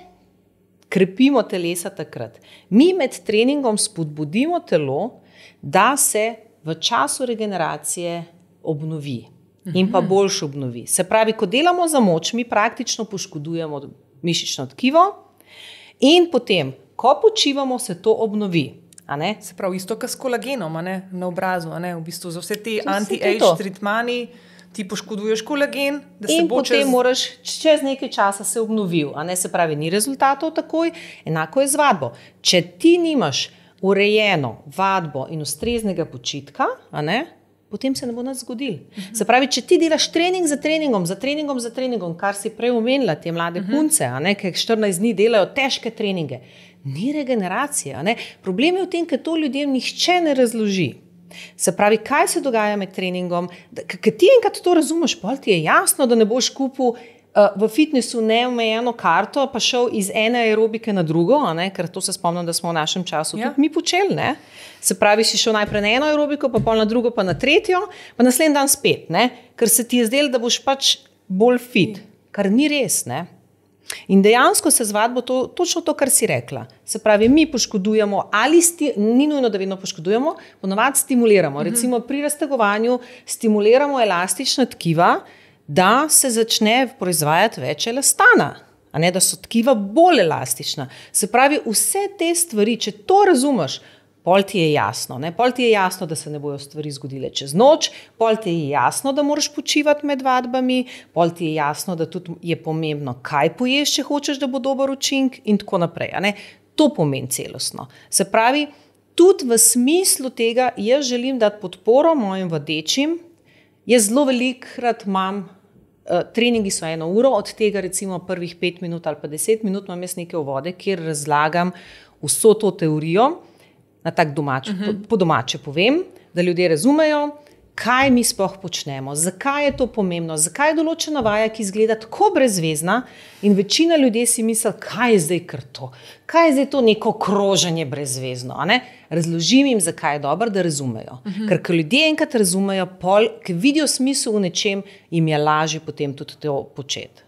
krepimo telesa takrat. Mi med treningom spodbudimo telo, da se v času regeneracije obnovi in pa boljše obnovi. Se pravi, ko delamo za moč, mi praktično poškodujemo mišično tkivo in potem, ko počivamo, se to obnovi. A ne? Se pravi, isto kot s kolagenom, a ne? Na obrazu, a ne? V bistvu za vse te anti-age tretmani ti poškoduješ kolagen, da se in bo čez... potem moraš čez nekaj časa se obnovil, a ne, se pravi, ni rezultatov takoj, enako je z vadbo. Če ti nimaš urejeno vadbo in ustreznega počitka, a ne, potem se ne bo nič zgodilo. Uh-huh. Se pravi, če ti delaš trening za treningom, za treningom, za treningom, kar si prej omenila, te mlade uh-huh. punce, a ne, ki štirinajst dni delajo težke treninge, ni regeneracije, a ne. Problem je v tem, ker to ljudem nihče ne razloži. Se pravi, kaj se dogaja med treningom, ker ti enkrat to razumeš, pol ti je jasno, da ne boš kupil uh, v fitnessu neomejeno karto, pa šel iz ene aerobike na drugo, a ne? Ker to se spomnim, da smo v našem času ja. tudi mi počeli. Ne? Se pravi, si šel najprej na eno aerobiko, pa pol na drugo, pa na tretjo, pa naslednji dan spet, ne? Ker se ti je zdelo, da boš pač bolj fit, kar ni res, ne? In dejansko se z vadbo to, točno to, kar si rekla. Se pravi, mi poškodujemo ali sti, ni nujno, da vedno poškodujemo, ponovadi stimuliramo. Uh-huh. Recimo pri raztegovanju stimuliramo elastična tkiva, da se začne proizvajati več elastana, a ne, da so tkiva bolj elastična. Se pravi, vse te stvari, če to razumeš, pol ti je jasno, ne? Pol ti je jasno, da se ne bojo stvari zgodile čez noč, pol ti je jasno, da moraš počivati med vadbami, pol ti je jasno, da tudi je pomembno, kaj poješ, če hočeš, da bo dober učink in tako naprej. A ne? To pomeni celostno. Se pravi, tudi v smislu tega, jaz želim dati podporo mojim vadečim, jaz zelo velikrat imam, uh, treningi so eno uro, od tega recimo prvih pet minut ali pa deset minut imam jaz neke uvode, kjer razlagam vso to teorijo. na tak domač, uh-huh. po, po domače povem, da ljudje razumejo, kaj mi sploh počnemo, zakaj je to pomembno, zakaj je določena vaja, ki izgleda tako brezvezna in večina ljudi si misli, kaj je zdaj kar to, kaj je zdaj to neko kroženje brezvezno. A ne? Razložim jim, zakaj je dobro, da razumejo. Uh-huh. Ker ko ljudje enkrat razumejo, pol, ki vidijo smisel v nečem, jim je lažje potem tudi to početi.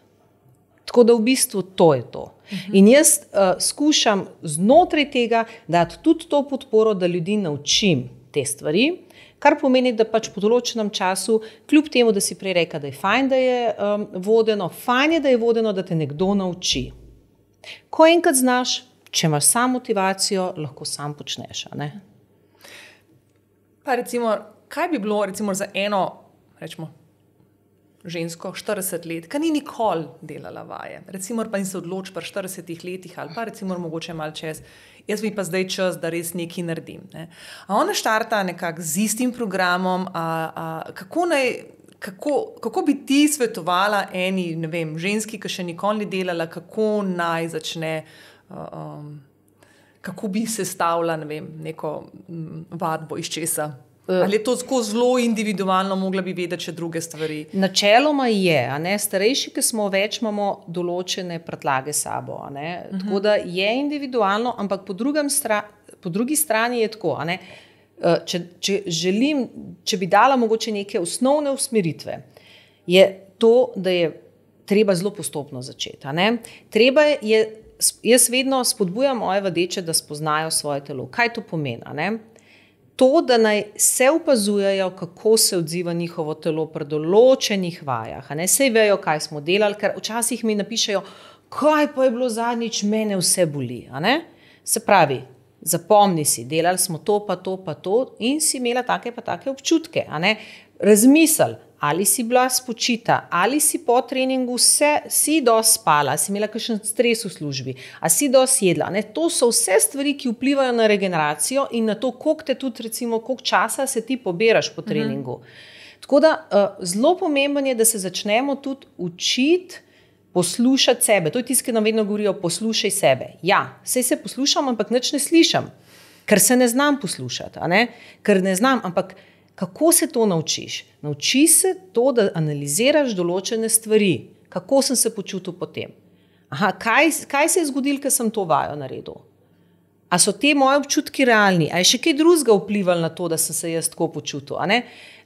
Tako da v bistvu to je to. Uh-huh. In jaz uh, skušam znotraj tega dati tudi to podporo, da ljudi naučim te stvari, kar pomeni, da pač po določenem času, kljub temu, da si prej rekel, da je fajn, da je um, vodeno, fajn je, da je vodeno, da te nekdo nauči. Ko enkrat znaš, če imaš sam motivacijo, lahko sam počneš. A ne? Pa recimo, kaj bi bilo recimo za eno, rečemo, žensko štirideset let, ki ni nikoli delala vaje. Recimo pa in se odloči pri štiridesetih letih ali pa recimo mogoče malo čez, jaz bi pa zdaj čas, da res nekaj naredim. Ne. A ona štarta nekako z istim programom, a, a, kako, naj, kako, kako bi ti svetovala eni, ne vem, ženski, ki še nikoli ni delala, kako naj začne, um, kako bi sestavila, ne vem, neko um, vadbo iz česa? Ali je to tako zelo individualno, mogla bi vedeti še druge stvari? Načeloma je, a ne, starejši, ki smo več, imamo določene prtljage sabo, a ne, uh-huh. Tako da je individualno, ampak po, stra, po drugi strani je tako, a ne, če, če želim, če bi dala mogoče neke osnovne usmeritve, je to, da je treba zelo postopno začeti, a ne, treba je, jaz vedno spodbujam moje vadeče, da spoznajo svoje telo, kaj to pomeni, a ne. To, da naj se opazujejo, kako se odziva njihovo telo pri določenih vajah. A ne, sej vejo, kaj smo delali, ker včasih mi napišejo, kaj pa je bilo zadnjič, mene vse boli. A ne? Se pravi, zapomni si, delali smo to, pa to, pa to in si imela take pa take občutke. A ne? Razmisel, ali si bila spočita, ali si po treningu vse, si dosti spala, si imela kakšen stres v službi, a si dosti jedla. Ne? To so vse stvari, ki vplivajo na regeneracijo in na to, koliko te tudi, recimo, koliko časa se ti poberaš po treningu. Mhm. Tako da uh, zelo pomembno je, da se začnemo tudi učiti poslušati sebe. To je tisto, ki nam vedno govorijo, poslušaj sebe. Ja, sej se poslušam, ampak nič ne slišam, ker se ne znam poslušati, a ne? Ker ne znam, ampak kako se to naučiš? Nauči se to, da analiziraš določene stvari. Kako sem se počutil potem? Aha, kaj, kaj se je zgodilo, ker sem to vajo naredil? A so te moje občutki realni? A je še kaj drugega vplivalo na to, da sem se jaz tako počutil? A ne?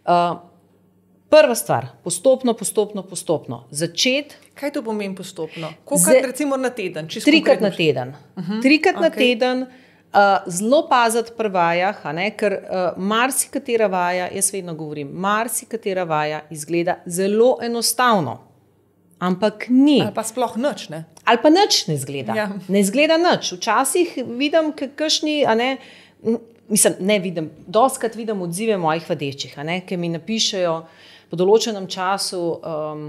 Uh, prva stvar, postopno, postopno, postopno. Začeti. Kaj to pomeni postopno? Kolikrat recimo na teden? Trikrat na teden. Uh-huh. Trikrat okay. na teden. Uh, zelo paziti pri vajah, a ne, ker uh, marsikatera vaja, jaz vedno govorim, marsikatera vaja izgleda zelo enostavno, ampak ni. Ali pa sploh nič, ne? Ali pa nič ne izgleda. Ja. Ne izgleda nič. Včasih vidim, kakšni, a ne, mislim, ne vidim, dostikrat vidim odzive mojih vadečih, a ne, ki mi napišejo po določenem času, um,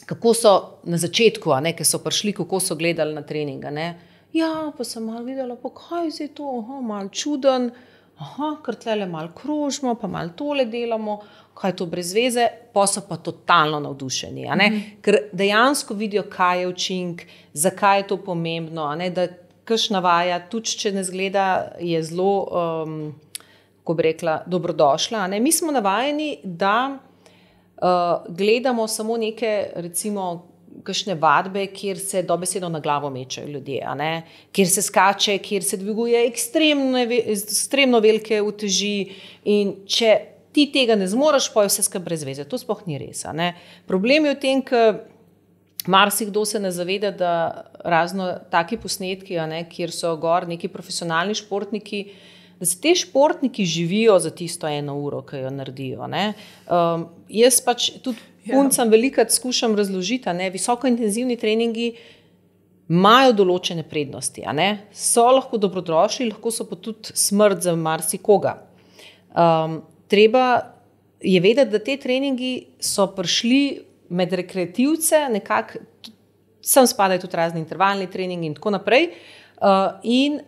kako so na začetku, a ne, ki so prišli, kako so gledali na trening, a ne. Ja, pa sem malo videla, pa kaj je to, aha, malo čuden, aha, ker tlele malo krožimo, pa malo tole delamo, kaj je to brez veze, pa so pa totalno navdušeni, a ne? Mm-hmm. Ker dejansko vidijo, kaj je učink, zakaj je to pomembno, a ne, da kakšna vaja, tudi če ne zgleda, je zelo, um, kako bi rekla, dobrodošla, a ne? Mi smo navajeni, da uh, gledamo samo neke, recimo, kakšne vadbe, kjer se dobesedno na glavo mečejo ljudje, a ne? Kjer se skače, kjer se dviguje ekstremno, ekstremno velike uteži in če ti tega ne zmoreš, pa je vse skupaj brez veze. To sploh ni res, a ne? Problem je v tem, ker marsikdo se ne zaveda, da razno taki posnetki, a ne, kjer so gor neki profesionalni športniki, da se te športniki živijo za tisto eno uro, ki jo naredijo, ne? Um, jaz pač tudi puncam velikrat skušam razložiti, a ne, visokointenzivni treningi imajo določene prednosti, a ne, so lahko dobrodošli, lahko so pa tudi smrt za marsikoga. Um, treba je vedeti, da te treningi so prišli med rekreativce, nekako, sem spadajo tudi razni intervalni treningi in tako naprej, uh, in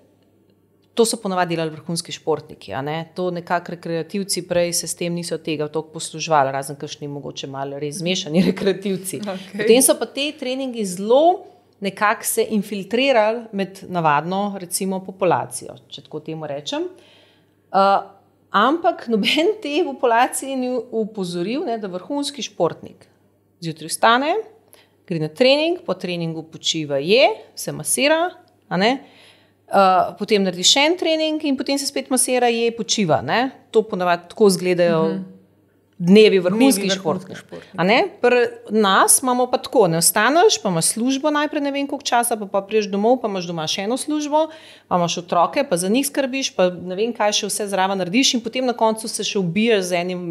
to so ponavadi delali vrhunski športniki, a ne? To nekako rekreativci prej se s tem niso tega toliko posluževali, razen kakšni mogoče malo res zmešani rekreativci. Okay. Potem so pa te treningi zelo nekako se infiltrirali med navadno, recimo, populacijo, če tako temu rečem. Uh, ampak noben te populacije ni upozoril, ne, da vrhunski športnik zjutraj vstane, gre na trening, po treningu počiva, je, se masira, a ne, uh, potem naredi še en trening in potem se spet masira, je, počiva. Ne? To ponavadi tako izgledajo uh-huh. dnevi vrhunskih športnikov. Pri nas imamo pa tako, ne ostaneš, pa imaš službo najprej ne vem koliko časa, pa, pa priješ domov, pa imaš doma še eno službo, pa imaš otroke, pa za njih skrbiš, pa ne vem kaj še vse zraven narediš in potem na koncu se še ubiješ z enim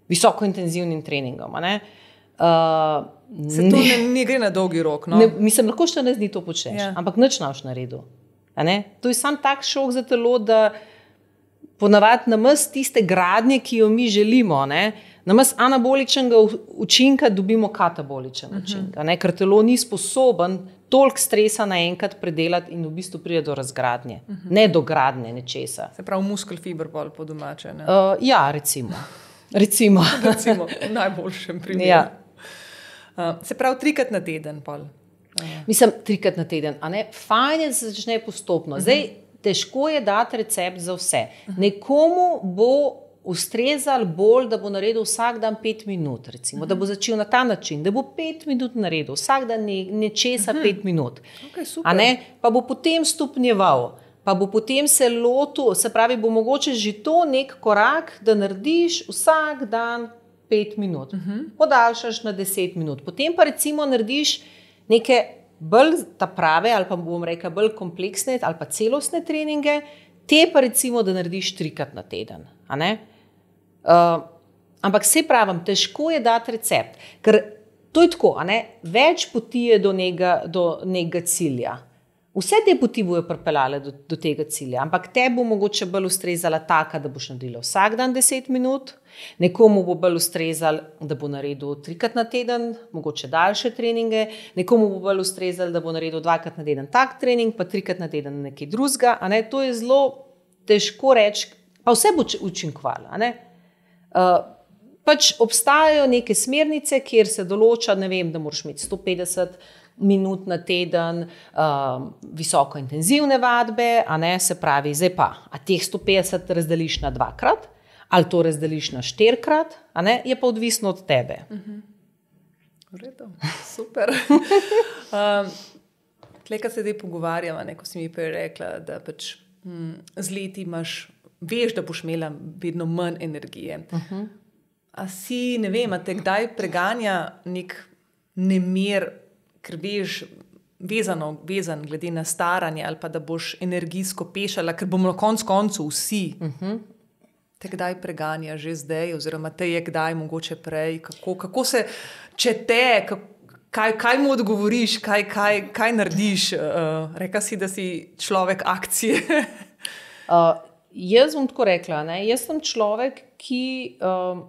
visokointenzivnim treningom. A ne? Uh, se to ne, ne gre na dolgi rok. No? Ne, mislim, lahko štirinajst dni to počneš, ja. ampak nič ne boš naredil. To je sam tak šok za telo, da ponavadi namest tiste gradnje, ki jo mi želimo, ne? Namest anaboličnega učinka dobimo kataboličen uh-huh. učinek, ne? Ker telo ni sposoben toliko stresa naenkrat predelati in v bistvu pride do razgradnje, uh-huh. ne do gradnje nečesa. Se pravi muskel fiber bolj po domače. Ne? Uh, ja, recimo. recimo. recimo, v najboljšem primeru. Ja. Uh, se pravi, trikrat na teden. Pol. Uh. Mislim, trikrat na teden. A ne? Fajn je, da se začne postopno. Zdaj, težko je dati recept za vse. Nekomu bo ustrezal bolj, da bo naredil vsak dan pet minut, recimo, da bo začel na ta način, da bo pet minut naredil, vsak dan ne, nečesa pet minut. Okay, a ne? Pa bo potem stopnjeval, pa bo potem se lotil, se pravi, bo mogoče že to nek korak, da narediš vsak dan pet minut, uh-huh. podaljšaš na deset minut, potem pa recimo narediš neke bolj ta prave ali pa bom rekla bolj kompleksne ali pa celostne treninge, te pa recimo, da narediš trikrat na teden. A ne? Uh, ampak se pravim, težko je dati recept, ker to je tako, a ne? Več poti je do nekega, do nekega cilja. Vse te poti bojo pripeljale do, do tega cilja, ampak te bo mogoče bolj ustrezala taka, da boš naredila vsak dan deset minut, nekomu bo bolj ustrezal, da bo naredil trikrat na teden, mogoče daljše treninge, nekomu bo bolj ustrezal, da bo naredil dvakrat na teden tak trening, pa trikrat na teden nekaj drugega, a ne, to je zelo težko reči, pa vse bo učinkovalo, a ne. Uh, pač obstajajo neke smernice, kjer se določa, ne vem, da moraš imeti sto petdeset minut na teden, uh, visoko intenzivne vadbe, a ne, se pravi, zdaj pa, a teh sto petdeset razdeliš na dvakrat, ali to razdeliš na štirikrat, a ne, je pa odvisno od tebe. Uh-huh. V redu, super. um, Tle, kad se zdaj pogovarjamo, ne, ko si mi prej rekla, da pač hm, z leti imaš, veš, da boš imela vedno manj energije. Uh-huh. A si, ne vem, a te kdaj preganja nek nemer, ker veš, vezano, vezan glede na staranje ali pa da boš energijsko pešala, ker bomo na koncu koncu vsi. Uh-huh. Te kdaj preganja že zdaj, oziroma te je kdaj mogoče prej, kako, kako se, če te, kaj, kaj mu odgovoriš, kaj, kaj, kaj narediš, uh, reka si, da si človek akcije. uh, jaz bom tako rekla, ne? Jaz sem človek, ki uh,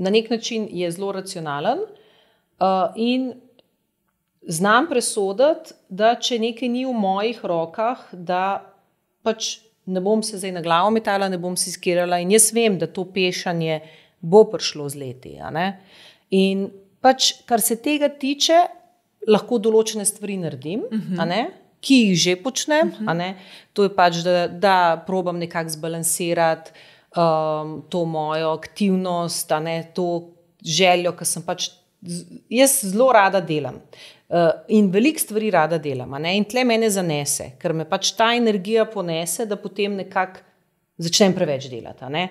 na nek način je zelo racionalen, Uh, in znam presoditi, da če nekaj ni v mojih rokah, da pač ne bom se zdaj na glavo metala, ne bom se skirala in jaz vem, da to pešanje bo prišlo z leti. A ne? In pač, kar se tega tiče, lahko določene stvari naredim, uh-huh. a ne? Ki jih že počnem. Uh-huh. A ne? To je pač, da, da probam nekako zbalansirati um, to mojo aktivnost, a ne? To željo, ki sem pač jaz zelo rada delam uh, in veliko stvari rada delam, a ne? In tle mene zanese, ker me pač ta energija ponese, da potem nekako začnem preveč delati. A ne?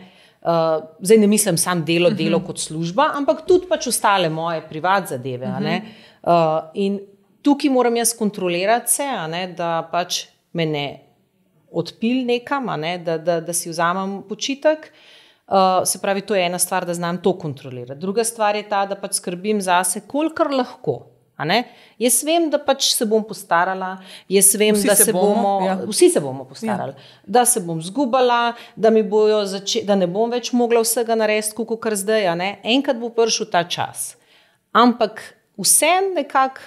Uh, zdaj ne mislim sam delo, delo uh-huh. kot služba, ampak tudi pač ostale moje privat zadeve. Uh-huh. A ne? Uh, in tukaj moram jaz kontrolirati se, a ne? Da pač me ne odpil nekam, a ne? Da, da, da si vzamem počitek. Uh, se pravi, to je ena stvar, da znam to kontrolirati. Druga stvar je ta, da pač skrbim zase, kolikor lahko. A ne? Jaz vem, da pač se bom postarala, jaz vem, vsi da se, se bomo, bomo ja. vsi se bomo postarali, ja. Da se bom zgubala, da, mi bojo zače- da ne bom več mogla vsega narediti, kako zdaj. A ne? Enkrat bo prišel ta čas. Ampak vse nekako,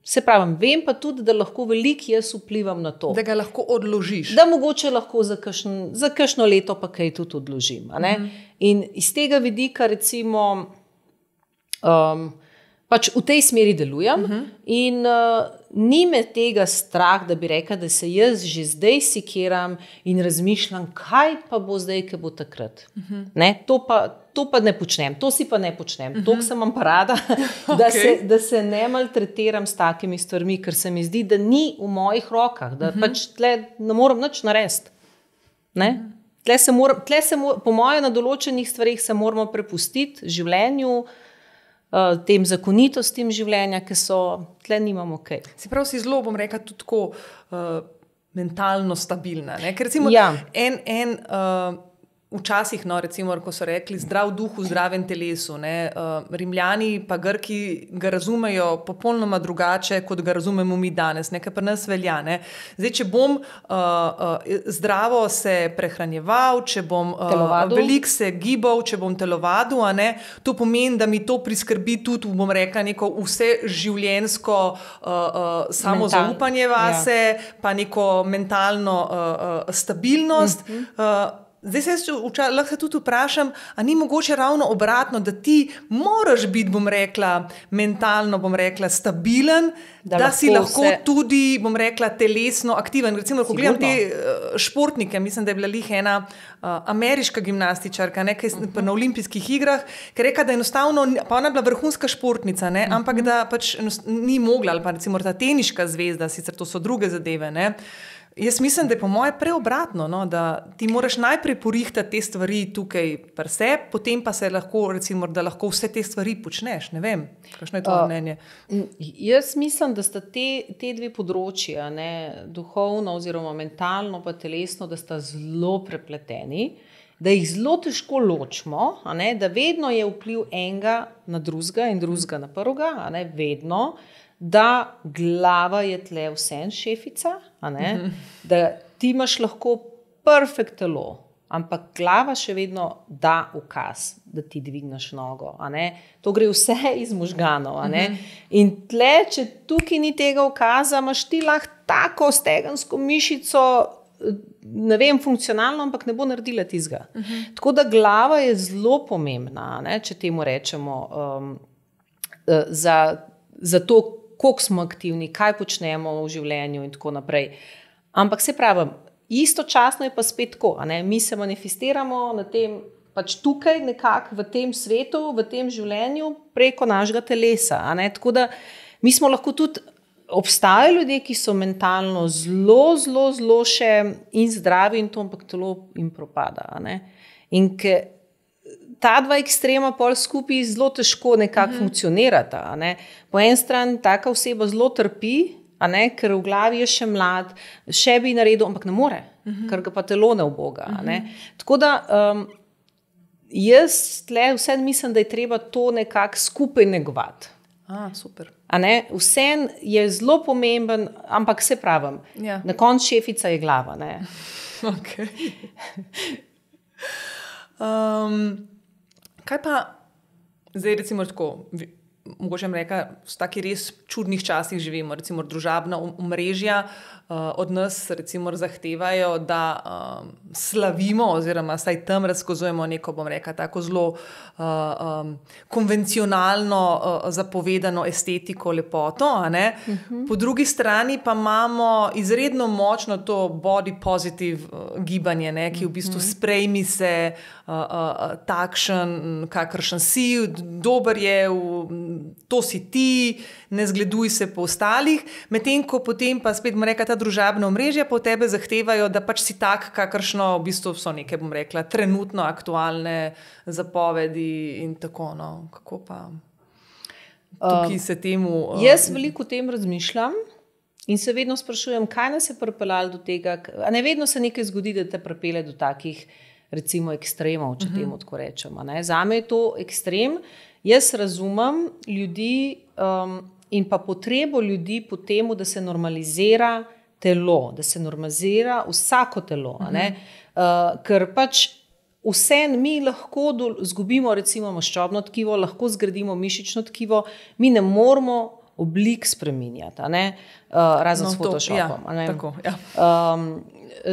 se pravim, vem pa tudi, da lahko veliko jaz vplivam na to. Da ga lahko odložiš. Da mogoče lahko za, kakšen, za kakšno leto pa kaj tudi odložim. A ne? Uh-huh. In iz tega vidika recimo um, pač v tej smeri delujem uh-huh. in uh, ni me tega strah, da bi rekla, da se jaz že zdaj sikiram in razmišljam, kaj pa bo zdaj, kaj bo takrat. Uh-huh. Ne, to pa, to pa ne počnem, to si pa ne počnem. Uh-huh. Toliko sem vam pa rada, da, okay. se, da se ne maltretiram s takimi stvarmi, ker se mi zdi, da ni v mojih rokah, da uh-huh. pač tle ne morem nič narediti. Ne? Uh-huh. Tle se mora, tle se mora, po moje na določenih stvarih se moramo prepustiti življenju, uh, tem zakonitostim življenja, ki so, tle nimamo kaj. Se pravi, si zelo, bom rekla, tudi tako uh, mentalno stabilna. Ne? Ker recimo ja. en, en uh, včasih, no, recimo, ko so rekli zdrav duh v zdravem telesu, ne? Uh, Rimljani pa Grki ga razumejo popolnoma drugače, kot ga razumemo mi danes, nekaj pri nas velja. Ne? Zdaj, če bom uh, uh, zdravo se prehranjeval, če bom uh, veliko se gibal, če bom telovadil, a ne, to pomeni, da mi to priskrbi tudi, bom rekla, neko vse življenjsko uh, uh, samozaupanje vase, ja. pa neko mentalno uh, uh, stabilnost. Uh-huh. uh, Zdaj se vča, lahko se tudi vprašam, a ni mogoče ravno obratno, da ti moraš biti, bom rekla, mentalno, bom rekla, stabilen, da, da lahko si lahko vse... tudi, bom rekla, telesno aktiven. Recimo, ko gledam te uh, športnike, mislim, da je bila lih ena uh, ameriška gimnastičarka, nekaj uh-huh. na olimpijskih igrah, ki je rekla, da enostavno, pa ona je bila vrhunska športnica, ne, uh-huh. ampak da pač ni mogla, ali pa recimo ta teniška zvezda, sicer to so druge zadeve, ne. Jaz mislim, da je po moje preobratno, no, da ti moraš najprej porihtati te stvari tukaj pri sebi, potem pa se lahko, recimo, da lahko vse te stvari počneš. Ne vem, kakšno je to uh, mnenje? Jaz mislim, da sta te, te dve področji, ne, duhovno oziroma mentalno pa telesno, da sta zelo prepleteni, da jih zelo težko ločimo, a ne, da vedno je vpliv enega na drugega in drugega na prvega, a ne, vedno, da glava je tle vsem šefica, a ne? Mm-hmm. Da ti imaš lahko perfekt telo, ampak glava še vedno da ukaz, da ti dvigneš nogo. A ne? To gre vse iz možganov. A ne? Mm-hmm. In tle, če tukaj ni tega ukaza, imaš ti lahko tako stegensko mišico, ne vem, funkcionalno, ampak ne bo naredila tizga. Mm-hmm. Tako da glava je zelo pomembna, ne? Če temu rečemo, um, za, za to, koliko smo aktivni, kaj počnemo v življenju in tako naprej. Ampak se pravim, istočasno je pa spet tako, a ne? Mi se manifestiramo na tem, pač tukaj nekako v tem svetu, v tem življenju preko našega telesa. A ne? Tako da mi smo lahko tudi, obstajajo ljudje, ki so mentalno zelo, zelo, zelo še in zdravi in to, ampak telo jim propada. A ne? In ke ta dva ekstrema pol skupaj zelo težko nekako mm-hmm. funkcionirata. A ne? Po en strani taka oseba zelo trpi, a ne? Ker v glavi je še mlad, še bi naredil, ampak ne more, mm-hmm. ker ga pa telo ne uboga. Mm-hmm. A ne? Tako da um, jaz tle vse mislim, da je treba to nekako skupaj negovati. A, super. A ne? Vse je zelo pomemben, ampak se pravim, ja. Na koncu šefica je glava. Ne? Ok. um, Kaj pa, zdaj recimo tako, mogoče vam reka, v taki res čudnih časih živimo, recimo družabna omrežja uh, od nas recimo zahtevajo, da um, slavimo oziroma saj tam razkazujemo neko, bom reka, tako zelo uh, um, konvencionalno uh, zapovedano estetiko, lepoto, a ne? Uh-huh. Po drugi strani pa imamo izredno močno to body positive uh, gibanje, ne? Ki v bistvu uh-huh. sprejmi se uh, uh, takšen, kakršen si, dober je, v, to si ti, ne zgleduj se po ostalih, medtem ko potem pa spet, bom rekla, ta družabna omrežja po tebe zahtevajo, da pač si tak, kakršno v bistvu so neke, bom rekla, trenutno aktualne zapovedi in tako, no. Kako pa tukaj se temu... Uh, jaz veliko o tem razmišljam in se vedno sprašujem, kaj nas je pripeljalo do tega, a ne vedno se nekaj zgodi, da te pripelje do takih, recimo, ekstremov, če uh-huh. temu tako rečem. Ne? Zame je to ekstrem. Jaz razumem ljudi um, in pa potrebo ljudi po temu, da se normalizira telo, da se normalizira vsako telo. Uh-huh. Ne? Uh, ker pač vse mi lahko do, zgubimo recimo maščobno tkivo, lahko zgradimo mišično tkivo, mi ne moramo oblik spreminjati, a ne? Uh, razen no, s Photoshopom. To, ja, tako, ja. um,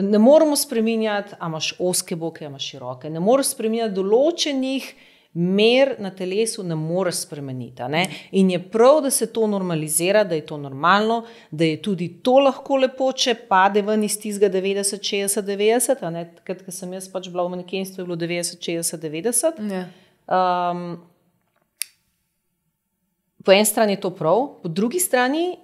ne moramo spreminjati, a imaš ozke boke, a imaš široke, ne moramo spreminjati določenih mer na telesu ne moreš spremeniti. Ne? In je prav, da se to normalizira, da je to normalno, da je tudi to lahko lepo, če pade ven iz tistega devetdeset, šestdeset, devetdeset. Takrat, ko sem jaz pač bila v manekenstvu, je bilo devetdeset, šestdeset, devetdeset. Ja. Um, po eni strani je to prav, po drugi strani,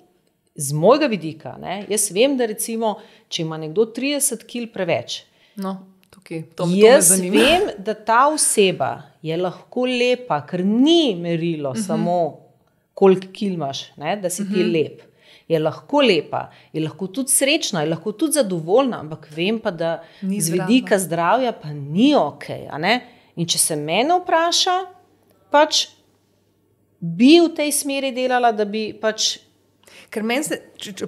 z mojega vidika, ne, jaz vem, da recimo, če ima nekdo trideset kilogramov preveč, no, tukaj, to, to jaz vem, da ta oseba je lahko lepa, ker ni merilo uh-huh. samo, koliko kil imaš, ne, da si ti uh-huh. lep. Je lahko lepa, je lahko tudi srečna, je lahko tudi zadovoljna, ampak vem pa, da ni z vidika zdravja pa ni ok. A ne? In če se mene vpraša, pač bi v tej smeri delala, da bi pač... Ker meni se,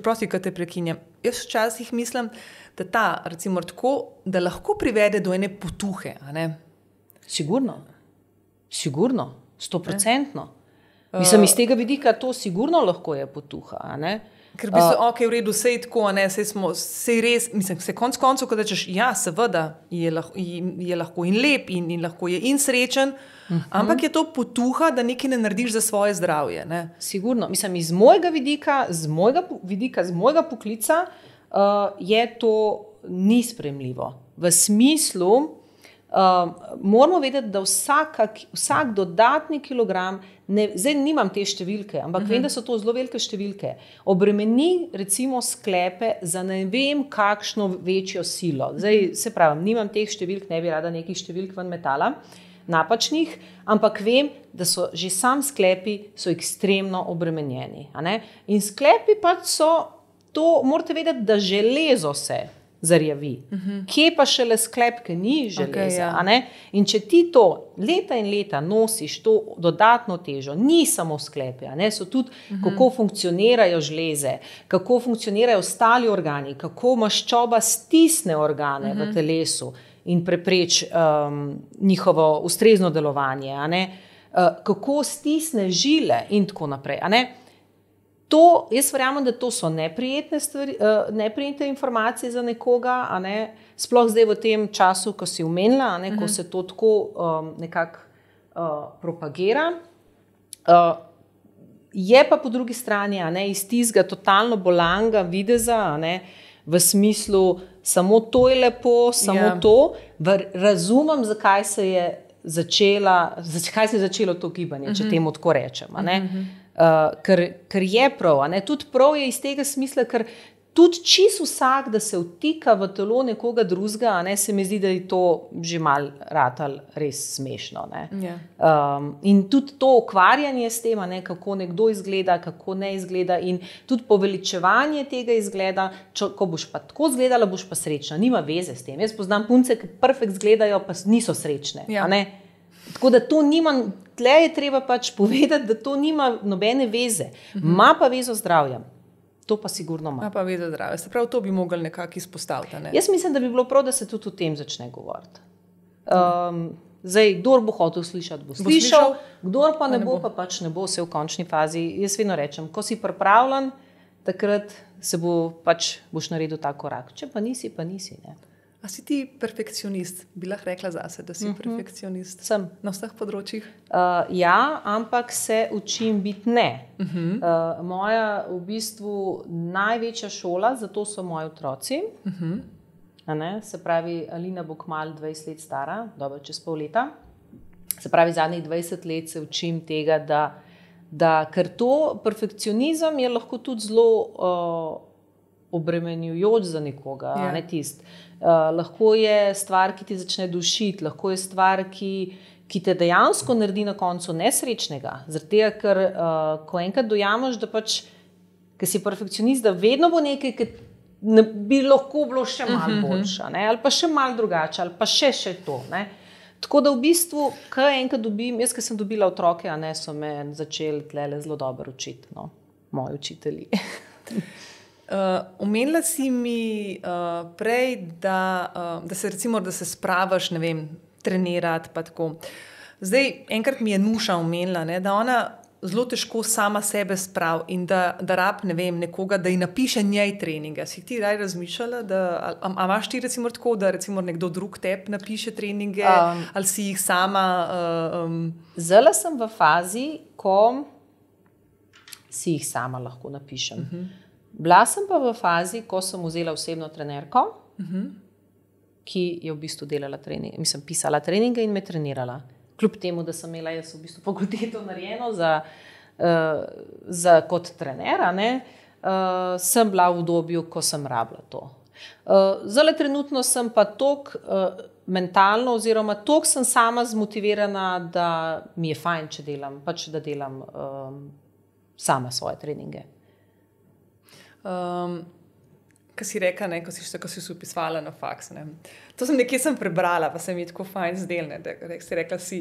prosti, ko te prekinjam, jaz včasih mislim, da ta, recimo tako, da lahko privede do ene potuhe, a ne? Sigurno, sigurno, stoprocentno. Mislim, iz tega vidika to sigurno lahko je potuha, a ne? Ker bi se, uh, ok, v redu, sej tako, a ne, sej smo, sej res, mislim, se konc koncev, ko rečeš, ja, seveda, je lahko, je lahko in lep, in, in lahko je in srečen, uh-huh. ampak je to potuha, da nekaj ne narediš za svoje zdravje, ne? Sigurno, mislim, iz mojega vidika, z mojega vidika, z mojega poklica, uh, je to ni sprejemljivo. V smislu, uh, moramo vedeti, da vsaka, vsak dodatni kilogram, ne, zdaj nimam te številke, ampak uh-huh. vem, da so to zelo velike številke, obremeni recimo sklepe za ne vem kakšno večjo silo. Zdaj se pravim, nimam teh številk, ne bi rada nekih številk ven metala, napačnih, ampak vem, da so že sam sklepi so ekstremno obremenjeni. A ne? In sklepi pač so, to morate vedeti, da železo se zarjavi. Uh-huh. Kje pa šele sklep, ki ni železa? Okay, ja. A ne? In če ti to leta in leta nosiš to dodatno težo, ni samo sklepe, a ne? So tudi uh-huh. kako funkcionirajo žleze, kako funkcionirajo ostali organi, kako maščoba stisne organe uh-huh. v telesu in prepreč um, njihovo ustrezno delovanje, a ne? Uh, kako stisne žile in tako naprej. A ne? To, jaz verjamem, da to so neprijetne, stvari, uh, neprijetne informacije za nekoga, a ne? Sploh zdaj v tem času, ko si omenila, a ne? Ko uh-huh. se to tako um, nekako uh, propagira. Uh, je pa po drugi strani, a ne, iz tistega totalno bolanga videza, a ne, v smislu, samo to je lepo, samo yeah. to, Ver, razumem, zakaj se je začela, zakaj se je začelo to gibanje, uh-huh. če temu tako rečem, a ne. Uh-huh. Uh, ker, ker je prav, a ne? Tudi prav je iz tega smisla, ker tudi čist vsak, da se vtika v telo nekoga drugega, a ne, se mi zdi, da je to že mal ratal res smešno. Ne? Yeah. Um, in tudi to ukvarjanje s tem, a ne, kako nekdo izgleda, kako ne izgleda in tudi poveličevanje tega izgleda, čo, ko boš pa tako izgledala, boš pa srečna. Nima veze s tem. Jaz poznam punce, ki perfekt izgledajo, pa niso srečne. Yeah. A ne? Tako da to nima, tle je treba pač povedati, da to nima nobene veze. Ma pa vezo zdravja. To pa sigurno ima. Ma pa vezo zdravja. Se pravi, to bi mogli nekako izpostaviti. Ne? Jaz mislim, da bi bilo prav, da se tudi o tem začne govoriti. Um, zdaj, kdor bo hotel slišati, bo, bo slišal, slišal, kdor pa ne, ne bo, bo, pa pač ne bo se v končni fazi. Jaz vedno rečem, ko si pripravljen, takrat se bo pač, boš naredil ta korak. Če pa nisi, pa nisi, ne. A si ti perfekcionist? Bi lahko rekla zase, da si uh-huh. perfekcionist? Sem. Na vseh področjih? Uh, ja, ampak se učim biti ne. Uh-huh. Uh, moja v bistvu največja šola, zato so moji otroci. Uh-huh. A ne? Se pravi, Alina bo kmalu dvajset let stara, dobro čez pol leta. Se pravi, zadnjih dvajset let se učim tega, da, da ker to perfekcionizem je lahko tudi zelo uh, obremenjujoč za nekoga, yeah. ne tist. Uh, lahko je stvar, ki ti začne dušiti, lahko je stvar, ki, ki te dejansko naredi na koncu nesrečnega. Zaradi tega, ker uh, ko enkrat dojameš, da pač, ker si perfekcionist, da vedno bo nekaj, ki ne, bi lahko bilo še malo boljša, ne? Ali pa še malo drugače, ali pa še še to. Ne? Tako da v bistvu, kaj enkrat dobim, jaz, ki sem dobila otroke, a ne, so me začeli tlele zelo dobro učiti, no? Moji učitelji. Uh, omenila si mi uh, prej, da, uh, da se recimo, da se spravaš, ne vem, trenirati pa tako. Zdaj, enkrat mi je Nuša omenila, ne, da ona zelo težko sama sebe sprav in da, da rab, ne vem, nekoga, da ji napiše njej treninge. Si ti raj razmišljala, da, a, a imaš ti recimo tako, da recimo nekdo drug tebi napiše treninge, um, ali si jih sama... Uh, um... Zdaj sem v fazi, ko si jih sama lahko napišem. Uh-huh. Bila sem pa v fazi, ko sem vzela osebno trenerko, uh-huh. ki je v bistvu delala treninge, mislim, pisala treninge in me trenirala. Kljub temu, da sem imela jaz v bistvu fakulteto narejeno za, uh, za kot trenera, ne, uh, sem bila v obdobju, ko sem rabila to. Uh, zdaj trenutno sem pa tok uh, mentalno oziroma tok sem sama zmotivirana, da mi je fajn, če delam, pač da delam um, sama svoje treninge. Um, Ko si rekla, ne, ko si še tako si se upisvala na faks. Ne. To sem nekje sem prebrala, pa se mi je tako fajn zdelne, da si rekla si,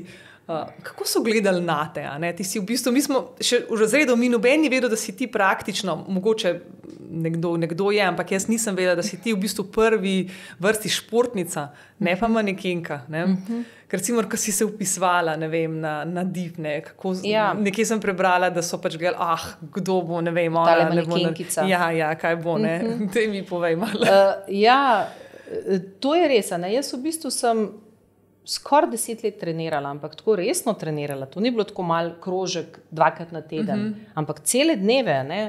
uh, kako so gledali na te, a ne? Ti si v bistvu, mi smo še v razredu, mi noben ni vedel, da si ti praktično, mogoče nekdo, nekdo je, ampak jaz nisem vedela, da si ti v bistvu prvi vrsti športnica, ne pa manekenka, ne? Uh-huh. Ker recimo, ko si se upisvala, ne vem, na, na div, ne, kako, ja. Nekje sem prebrala, da so pač gledali, ah, kdo bo, ne vem, ona, tale manekenkica. Ja, ja, kaj bo, ne, uh-huh. Te mi povej malo. Uh, ja, to je res, ne, jaz v bistvu sem skoraj deset let trenirala, ampak tako resno trenirala, to ni bilo tako mal krožek dvakrat na teden, uh-huh. ampak cele dneve, ne,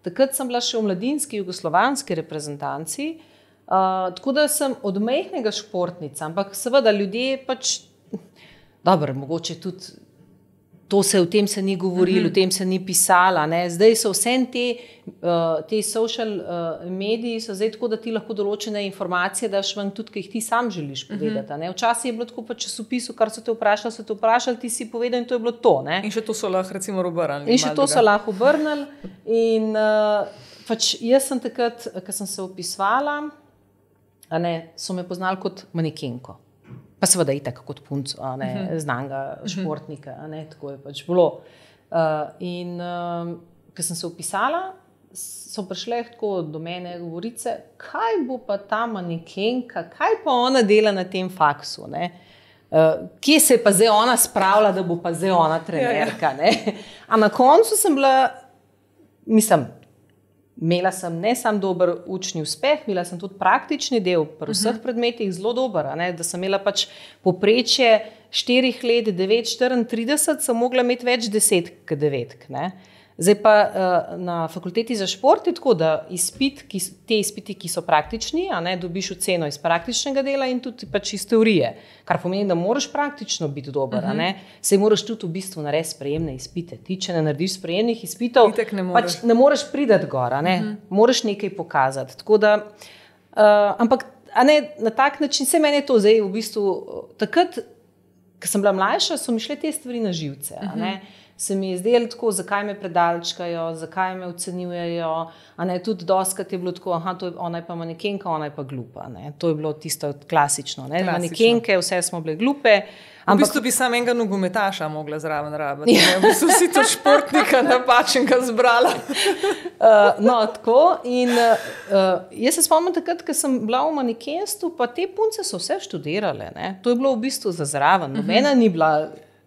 takrat sem bila še v mladinski jugoslovanski reprezentanci. Uh, tako da sem od majhnega športnica, ampak seveda ljudje pač, dobro, mogoče tudi to se o tem se ni govorilo, mm-hmm. o tem se ni pisala, ne? Zdaj so vse te, uh, te social uh, mediji so zdaj tako, da ti lahko določene informacije daš ven tudi, ki jih ti sam želiš povedati. Mm-hmm. Ne? Včasih je bilo tako pa časopisu, kar so te vprašali, so te vprašali, ti si povedal in to je bilo to. Ne? In še to so lahko recimo obrnili. In še to so lahko obrnili. In uh, pač jaz sem takrat, ko sem se upisvala, a ne, so me poznali kot manekenko. Pa seveda itak kot punco, a ne, uh-huh. znanga športnika, a ne, tako je pač bilo. Uh, in um, ko sem se upisala, so prišle tako do mene govorice, kaj bo pa ta manekenka, kaj pa ona dela na tem faksu, ne? Uh, kje se je pa zdaj ona spravila, da bo pa zdaj ona trenerka, ne? A na koncu sem bila, mislim, imela sem ne sam dober učni uspeh, imela sem tudi praktični del pri vseh uh-huh. predmetih zelo dober, a ne, da sem imela pač poprečje štirih let, devet, štiriintrideset, sem mogla imeti več deset k devetk, ne. Zdaj pa uh, na fakulteti za šport je tako, da izpit, ki, te izpiti, ki so praktični, a ne, dobiš oceno iz praktičnega dela in tudi pač iz teorije, kar pomeni, da moraš praktično biti dober, uh-huh. a ne, sej moraš tudi v bistvu narediti sprejemne izpite. Ti, če ne narediš sprejemnih izpitov, ne pač ne moreš priti gor, a ne, uh-huh. moraš nekaj pokazati. Tako da, uh, ampak, a ne, na tak način, se meni je to zdaj v bistvu, takrat, ko sem bila mlajša, so mi šle te stvari na živce, a ne, uh-huh. se mi je zdelo tako, zakaj me predalčkajo, zakaj me ocenjujejo, a ne, tudi doskrat je bilo tako, aha, to je, ona je pa manekenka, ona je pa glupa, ne, to je bilo tisto klasično, ne, klasično. Manekenke, vse smo bile glupe. Ampak, v bistvu bi sam enega nogometaša mogla zraven rabiti, ja. Ne, v bistvu si to športnika napačenega zbrala. uh, no, tako, in uh, jaz se spomnim takrat, ko sem bila v manekenstvu, pa te punce so vse študirale, ne, to je bilo v bistvu za zraven, nobena uh-huh. ni bila...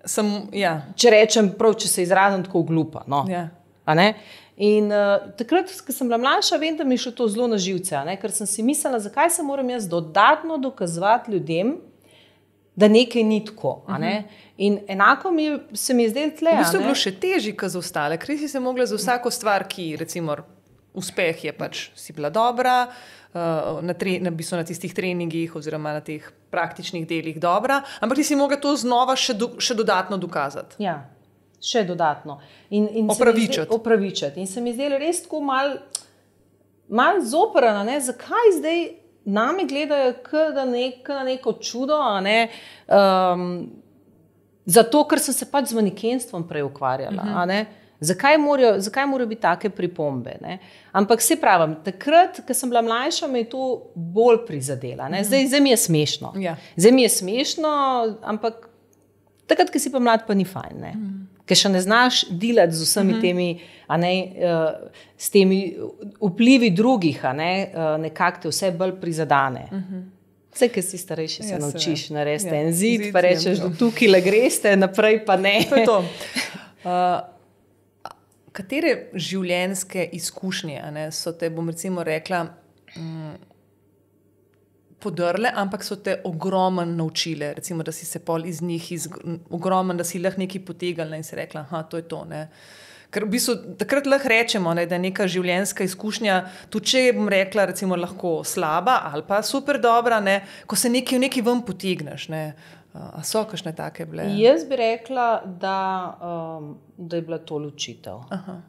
Sem, ja. Če rečem prav, če se izrazim tako glupa. No. Ja. A ne? In uh, takrat, ko sem bila mlajša, vem, da mi je šlo to zelo na živce, a ne? Ker sem si mislila, zakaj se moram jaz dodatno dokazovati ljudem, da nekaj ni tako. A ne? In enako mi je, se mi je zdelo tle. V bistvu je bilo še težje, kot za ostale, ker si se mogla za vsako stvar, ki recimo uspeh je pač si bila dobra, Na, tre, na, na tistih treningih oziroma na teh praktičnih delih dobra, ampak ti si mogla to znova še, do, še dodatno dokazati. Ja, še dodatno. In, in opravičati. Zdel, opravičati. In se mi zdelo res tako mal, mal zoprana, ne? Zakaj zdaj nami gledajo k, da nek, na neko čudo, a ne? Um, zato, ker sem se pač z manekenstvom prej ukvarjala, uh-huh. a ne? Zakaj morajo, zakaj morajo biti take pripombe? Ne? Ampak se pravim, takrat, ko sem bila mlajša, me je to bolj prizadela. Ne? Zdaj, zdaj mi je smešno. Ja. Zdaj mi je smešno, ampak takrat, ko si pa mlad, pa ni fajn. Ne? Mm. Ker še ne znaš delati z vsemi mm-hmm. temi, a ne, uh, s temi vplivi drugih, a ne, uh, nekako te vse bolj prizadane. Mm-hmm. Vse, ki si starejši, se ja, naučiš narediti ja. en zid, zid, pa rečeš, da tukaj le greste, naprej pa ne. To je to. Uh, katere življenjske izkušnje, a ne, so te, bom recimo rekla, um, podrle, ampak so te ogromno naučile, recimo, da si se pol iz njih iz, ogromno, da si lahko nekaj potegnila in si rekla, aha, to je to, ne. Ker v bistvu takrat lahko rečemo, ne, da je neka življenjska izkušnja, tudi če bom rekla, recimo, lahko slaba ali pa super dobra, ne, ko se nekaj v nekaj ven potegneš, ne. A so kakšne take bile? Jaz bi rekla, da, um, da je bila to ločitev. Aha.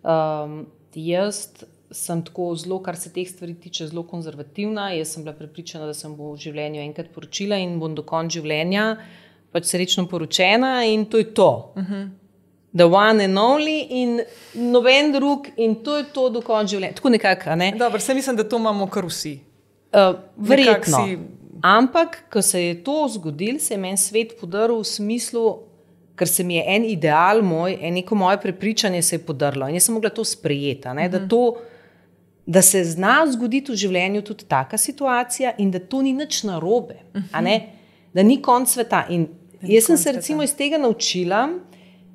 Um, jaz sem tako zelo, kar se teh stvari tiče, zelo konzervativna. Jaz sem bila prepričana, da sem bo v življenju enkrat poročila in bom do konca življenja pač srečno poročena in to je to. Uh-huh. The one and only in noben drug in to je to do konca življenja. Tako nekako, ne? Dobro, se mislim, da to imamo kar vsi. Uh, verjetno. Si... Ampak, ko se je to zgodilo, se je meni svet podaril v smislu, ker se mi je en ideal moj, en neko moje prepričanje se je podarilo in jaz sem mogla to sprejeti, ne? Uh-huh. da to da se zna zgoditi v življenju tudi taka situacija in da to ni nič narobe, uh-huh. a ne? Da ni konc sveta. In jaz sem se recimo iz tega naučila,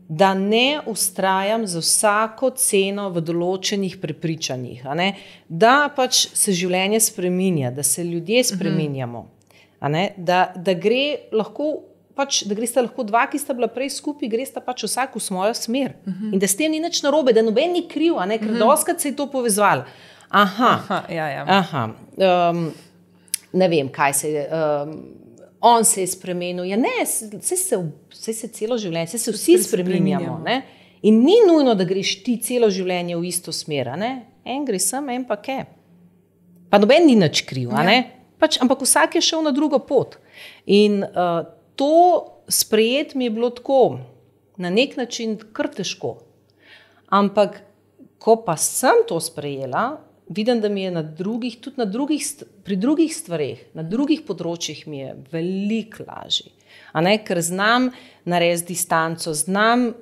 da ne ustrajam za vsako ceno v določenih prepričanjih, a ne? Da pač se življenje spreminja, da se ljudje spreminjamo, a ne? Da, da gre lahko pač, da gresta lahko dva, ki sta bila prej skupaj, gresta pač vsak v svojo smer. Uh-huh. In da s tem ni nič narobe, da noben ni kriv, a ne? Ker uh-huh. doskrat se je to povezvalo. Aha, aha, ja, ja. aha. Um, ne vem, kaj se je, um, on se je spremenil, ja ne, vse se, vse se celo življenje, vse se vsi spreminjamo, ne? In ni nujno, da greš ti celo življenje v isto smer, ne? En gre sem, en pa ke. Pa noben ni nič kriv, a ne? Ja. Pač, ampak vsak je šel na drugo pot. In uh, to sprejeti mi je bilo tako, na nek način kar težko. Ampak, ko pa sem to sprejela, vidim, da mi je na drugih, tudi na drugih, pri drugih stvareh, na drugih področjih mi je veliko lažje. A ne, ker znam narediti distanco, znam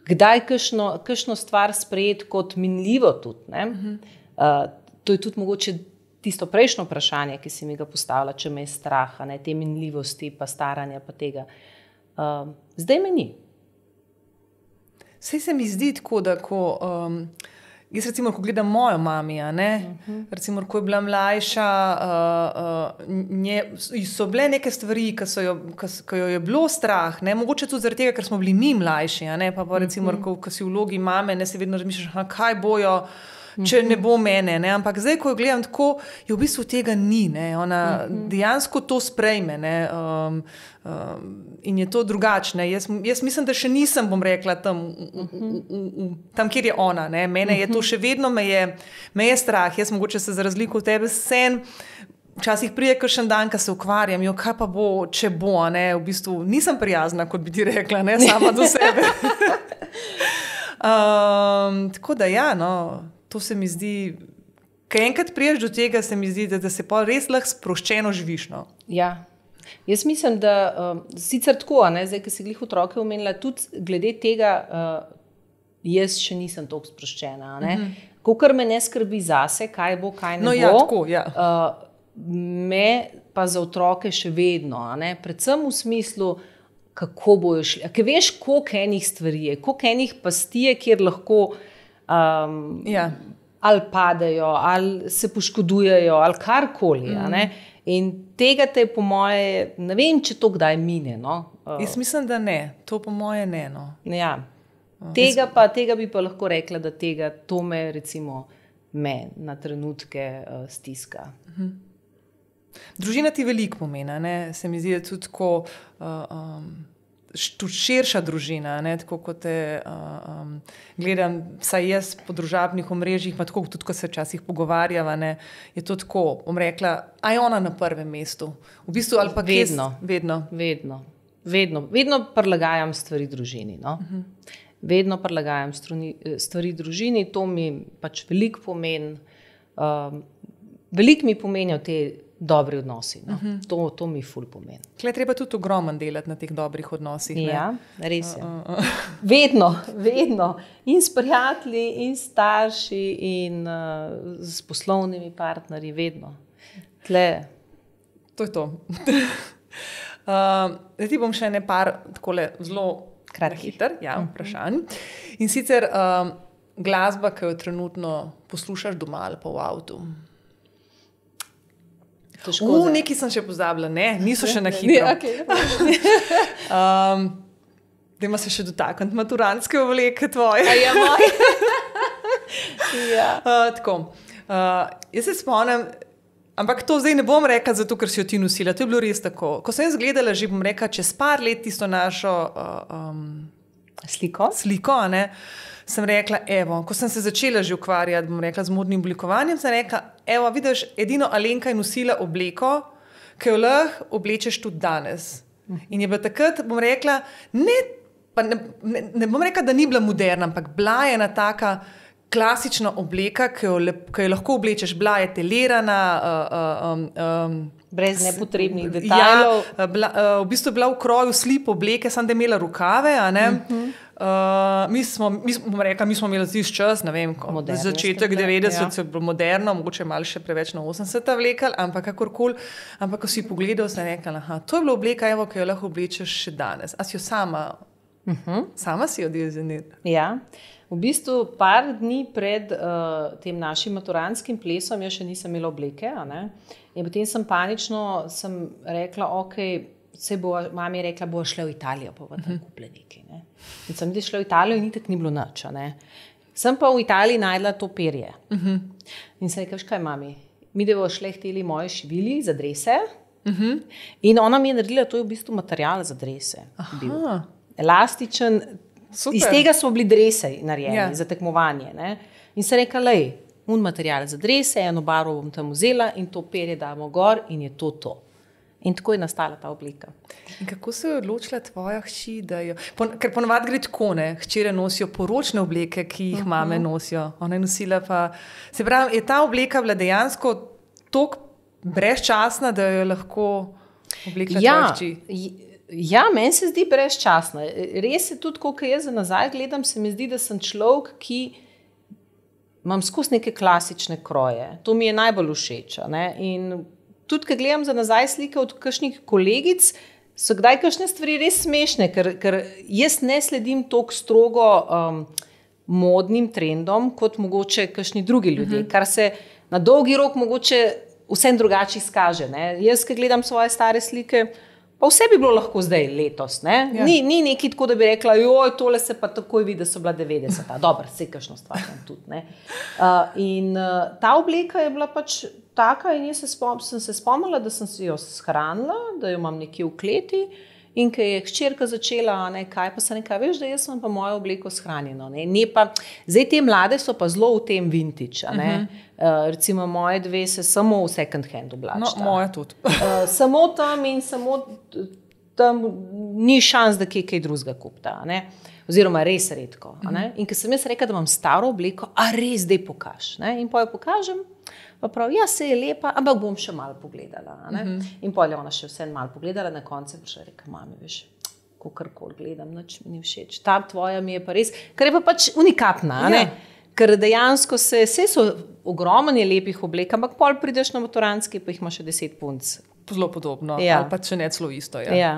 kdaj kakšno, kakšno stvar sprejeti kot minljivo tudi. Ne? Uh-huh. Uh, to je tudi mogoče tisto prejšnjo vprašanje, ki si mi ga postavila, če me je strah, a ne, te minljivosti, pa staranja, pa tega. Uh, zdaj me ni. Sej se mi zdi tako, da ko... Um... Jaz recimo, ko gledam mojo mami, a ne, uh-huh. recimo, ko je bila mlajša, uh, uh, nje, so bile neke stvari, ki so jo, ki jo je bilo strah, ne, mogoče tudi zaradi tega, ker smo bili mi mlajši, a ne, pa pa recimo, uh-huh. ko, ko si v vlogi mame, ne, se vedno razmišljaš, aha, kaj bojo, če ne bo mene, ne, ampak zdaj, ko jo gledam tako, je v bistvu tega ni, ne, ona uh-huh. dejansko to sprejme, ne, um, um, in je to drugačne. Jaz, jaz mislim, da še nisem, bom rekla, tam, v, v, v, v, tam kjer je ona, ne, mene je to še vedno, me je, me je strah, jaz mogoče se za razliko od tebe sen, včasih prije kakšen dan, ko se ukvarjam, jo, kaj pa bo, če bo, ne, v bistvu nisem prijazna, kot bi ti rekla, ne, sama do sebe. um, tako da ja, no, to se mi zdi, kaj enkrat priješ do tega, se mi zdi, da, da se pa res lahko sproščeno živiš. No? Ja. Jaz mislim, da um, sicer tako, ne, zdaj, ki si glih otroke omenila, tudi glede tega, uh, jaz še nisem toliko sproščena. Ne? Mm-hmm. Kakor me ne skrbi zase, kaj bo, kaj ne no, bo. Ja, tako, ja. uh, me pa za otroke še vedno. Ne? Predvsem v smislu, kako bojo šli. Ker veš, koliko enih stvari je, koliko enih pasti je, kjer lahko Um, ja. ali padejo, ali se poškodujejo, ali karkoli. Mm. In tega te po moje, ne vem, če to kdaj mine. No? Uh. Jaz mislim, da ne. To po moje ne. No. Ja. Uh. Tega, pa, tega bi pa lahko rekla, da tega, to me recimo me na trenutke uh, stiska. Uh-huh. Družina ti veliko pomeni, ne? Se mi zdi, da tudi tako... Uh, um, tudi širša družina, ne, tako kot te uh, um, gledam, saj jaz po družabnih omrežjih, pa tako tudi, ko se včasih pogovarjava, ne, je to tako, bom rekla, a je ona na prvem mestu. V bistvu, ali pa vedno, kes, vedno. Vedno, vedno, vedno prilagajam stvari družini, no. Uh-huh. Vedno prilagajam struni, stvari družini, to mi pač veliko pomeni, um, veliko mi pomenijo te dobri odnosi. No? Uh-huh. To, to mi ful pomeni. Tle treba tudi ogromno delati na teh dobrih odnosih. Ne? Ja, res je. Uh, uh, uh. Vedno, vedno. In s prijatelji, in starši, in uh, s poslovnimi partnerji, vedno. Tle. To je to. uh, ti bom še ne par takole zelo Kratkih. Hiter, ja, vprašanj. In sicer um, glasba, ki jo trenutno poslušaš doma ali pa v avtu. V neki sem še pozabila, ne, niso še na hitro. Ne, okay. um, Dajmo se še dotakniti maturantske obleke tvoje. A ja, moje. ja. uh, tako, uh, jaz se spomnim, ampak to zdaj ne bom rekla zato, ker si jo ti nosila, to je bilo res tako. Ko sem jaz gledala, že bom rekla, čez par let tisto našo uh, um, sliko, sliko a ne, sem rekla, evo, ko sem se začela že ukvarjati, bom rekla, z modnim oblikovanjem, sem rekla, evo, vidiš, edino Alenka je nosila obleko, ki jo lahko oblečeš tudi danes. In je bila takrat, bom rekla, ne, pa ne, ne, ne bom rekla, da ni bila moderna, ampak bila je ena taka klasična obleka, ki jo, ki jo lahko oblečeš, bila je telirana, uh, um, um, brez nepotrebnih detajlov. Ja, bila, uh, v bistvu je bila v kroju slip obleke, samo da je imela rokave, a ne. Uh-huh. Uh, mi smo, mi smo, rekla, mi smo imeli zdi čas, ne vem, ko, začetek devetdeset, ja. Moderno, mogoče malo še preveč na osemdeseta vlekali, ampak kakorkoli, ampak ko si pogledal, sem rekla, aha, to je bila obleka, evo, ki jo lahko oblečeš še danes. A si jo sama, uh-huh. sama si jo dizajnirala? Ja, v bistvu par dni pred uh, tem našim maturantskim plesom jaz še nisem imela obleke, a ne? In potem sem panično sem rekla, ok, se bo, mami je rekla, bo šla v Italijo, pa bo tam uh-huh. kupila nekaj, ne? In sem šla v Italijo in itak ni bilo nič, ne. Sem pa v Italiji najdla to perje. Uh-huh. In sem rekla, veš kaj, mami, mi da bo šle hteli moje šivili za drese. Uh-huh. In ona mi je naredila, to je v bistvu material za drese. Bil. Elastičen, super. Iz tega so bili drese narejeni, ja. Za tekmovanje, ne. In sem rekla, lej, un material za drese, eno barvo bom tam vzela in to perje damo gor in je to to. In tako je nastala ta oblika. In kako se je odločila tvoja hči, da jo... Pon, ker ponovadi gre tako, ne, hčere nosijo poročne obleke, ki jih uh-huh. mame nosijo. Ona je nosila pa... Se pravi, je ta obleka bila dejansko toliko brezčasna, da jo lahko oblekla ja, tvoja hči? Ja, meni se zdi brezčasna. Res je tudi, ko jaz za nazaj gledam, se mi zdi, da sem človek, ki imam skozi neke klasične kroje. To mi je najbolj všeč, ne, in tudi, ko gledam za nazaj slike od kakšnih kolegic, so kdaj kakšne stvari res smešne, ker, ker jaz ne sledim toliko strogo um, modnim trendom, kot mogoče kakšni drugi ljudje, uh-huh. kar se na dolgi rok mogoče vsem drugače izkaže. Ne? Jaz, ko gledam svoje stare slike, pa vse bi bilo lahko zdaj letos. Ne? Ja. Ni, ni nekaj tako, da bi rekla, joj, tole se pa takoj vidi, da so bila devetdeseta. Dobro, vse kakšno stvar tudi. Ne? Uh, in uh, ta obleka je bila pač taka in jaz se spom, sem se spomnila, da sem si jo shranila, da jo imam nekje v kleti in ko je hčerka začela, ne, kaj pa se nekaj, veš, da jaz sem pa mojo obleko shranjeno. Ne? Ne pa, zdaj te mlade so pa zelo v tem vintage. A ne? Uh-huh. Uh, recimo moje dve se samo v second hand oblačita. No, moja tudi. uh, samo tam in samo tam ni šans, da kje kaj drugega kupta. Ne? Oziroma res redko. Uh-huh. A ne? In ko sem jaz rekla, da imam staro obleko, a res dej pokaž. Ne? In pa jo pokažem, pa prav, ja, se je lepa, ampak bom še malo pogledala. Ne? Uh-huh. In pol je ona še vse malo pogledala, na koncu pa še rekla, mami, veš, kakorkoli gledam, nič mi ni všeč. Ta tvoja mi je pa res, ker je pa pač unikatna, ja. Ne? Ker dejansko se, vse so ogromne lepih oblek, ampak pol prideš na maturantski, pa jih ima še deset punc. Zelo podobno, ja. Ali pa če ne celo isto. Ja. Ja.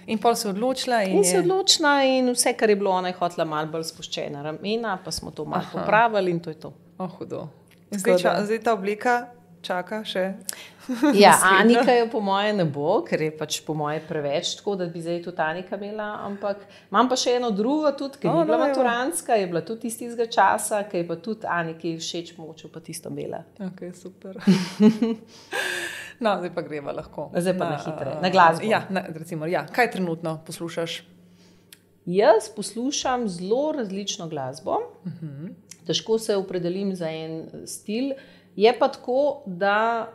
In pol se odločila. In, in se odločila in vse, kar je bilo, ona je hotela malo bolj spuščena ramena, pa smo to malo popravili in to je to. Oh, hudo. Zdaj, ča, zdaj ta oblika čaka še. Ja, Anika jo po moje ne bo, ker je pač po moje preveč tako, da bi zdaj tudi Anika imela, ampak imam pa še eno drugo tudi, ki oh, ni bila no, maturantska, je bila tudi iz tistega časa, ki je pa tudi Aniki všeč, mogoče pa tisto bela. Ok, super. No, zdaj pa greva lahko. Zdaj pa na, na hitre, na glasbo. Ja, na, recimo, ja. Kaj trenutno poslušaš? Jaz poslušam zelo različno glasbo. Uh-huh. Težko se opredelim za en stil. Je pa tako, da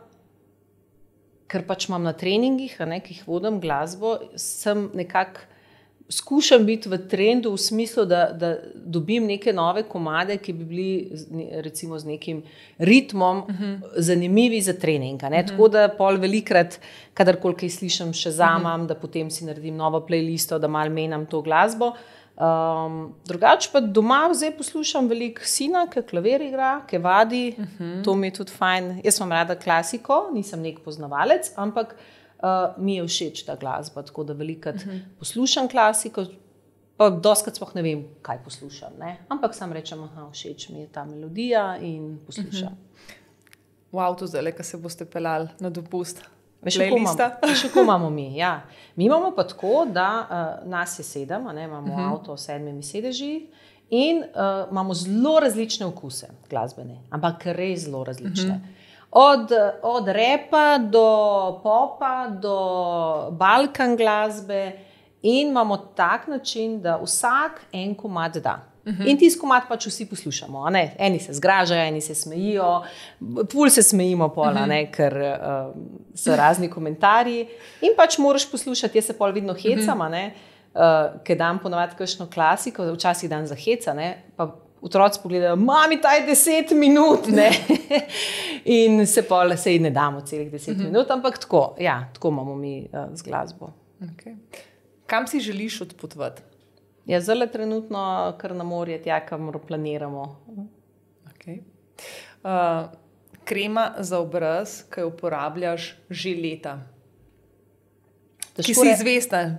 ker pač imam na treningih, a ne, ki jih vodim glasbo, sem nekako skušam biti v trendu v smislu, da, da dobim neke nove komade, ki bi bili recimo z nekim ritmom uh-huh. zanimivi za trening. A ne? Uh-huh. Tako da pol velikrat, kadarkoli kaj slišim, še zamam, uh-huh. da potem si naredim novo playlisto, da malo menjam to glasbo. Um, drugače pa doma zdaj poslušam veliko sina, ki klavir igra, ki vadi, uh-huh. to mi je tudi fajn. Jaz imam rada klasiko, nisem nek poznavalec, ampak uh, mi je všeč ta glasba, tako da velikrat uh-huh. poslušam klasiko, pa doskrat sploh ne vem, kaj poslušam. Ne? Ampak sam rečem, aha, všeč mi je ta melodija in poslušam. V avtu zdaj, ko se boste pelali na dopust. Veš, kako imamo mi. Ja. Mi imamo pa tako, da uh, nas je sedem, ne, imamo uh -huh. avto s sedmimi sedeži in uh, imamo zelo različne okuse glasbene, ampak res zelo različne. Uh -huh. Od, od repa do popa, do balkan glasbe in imamo tak način, da vsak en komad da. Uh -huh. In tisti komad pač vsi poslušamo. Ne? Eni se zgražajo, eni se smejijo, pol se smejimo pola, uh -huh. ne? Ker uh, so razni komentarji. In pač moraš poslušati, jaz se pol vidno hecam, uh -huh. uh, ker dam ponovadi kakšno klasiko, včasih dan za heca, ne? Pa otroci pogledajo, mami, taj deset minut, ne? In se pol sej ne damo celih deset uh -huh. minut, ampak tako, ja, tako imamo mi uh, z glasbo. Okay. Kam si želiš odpotovati? Ja, zelo trenutno, kar na morje, tja, kamor planiramo. Okay. Uh, krema za obraz, ki jo uporabljaš že leta. Težko ki si re... izvesta,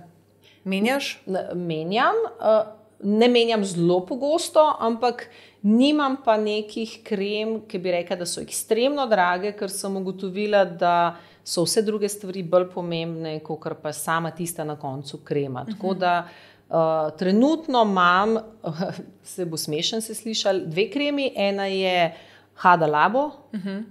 menjaš? Menjam, uh, ne menjam zelo pogosto, ampak nimam pa nekih krem, ki bi rekla, da so ekstremno drage, ker sem ugotovila, da so vse druge stvari bolj pomembne, kot pa sama tista na koncu krema. Uh -huh. Tako da Uh, trenutno imam, uh, se bo smešen se slišal, dve kremi. Ena je Hada Labo, uh -huh.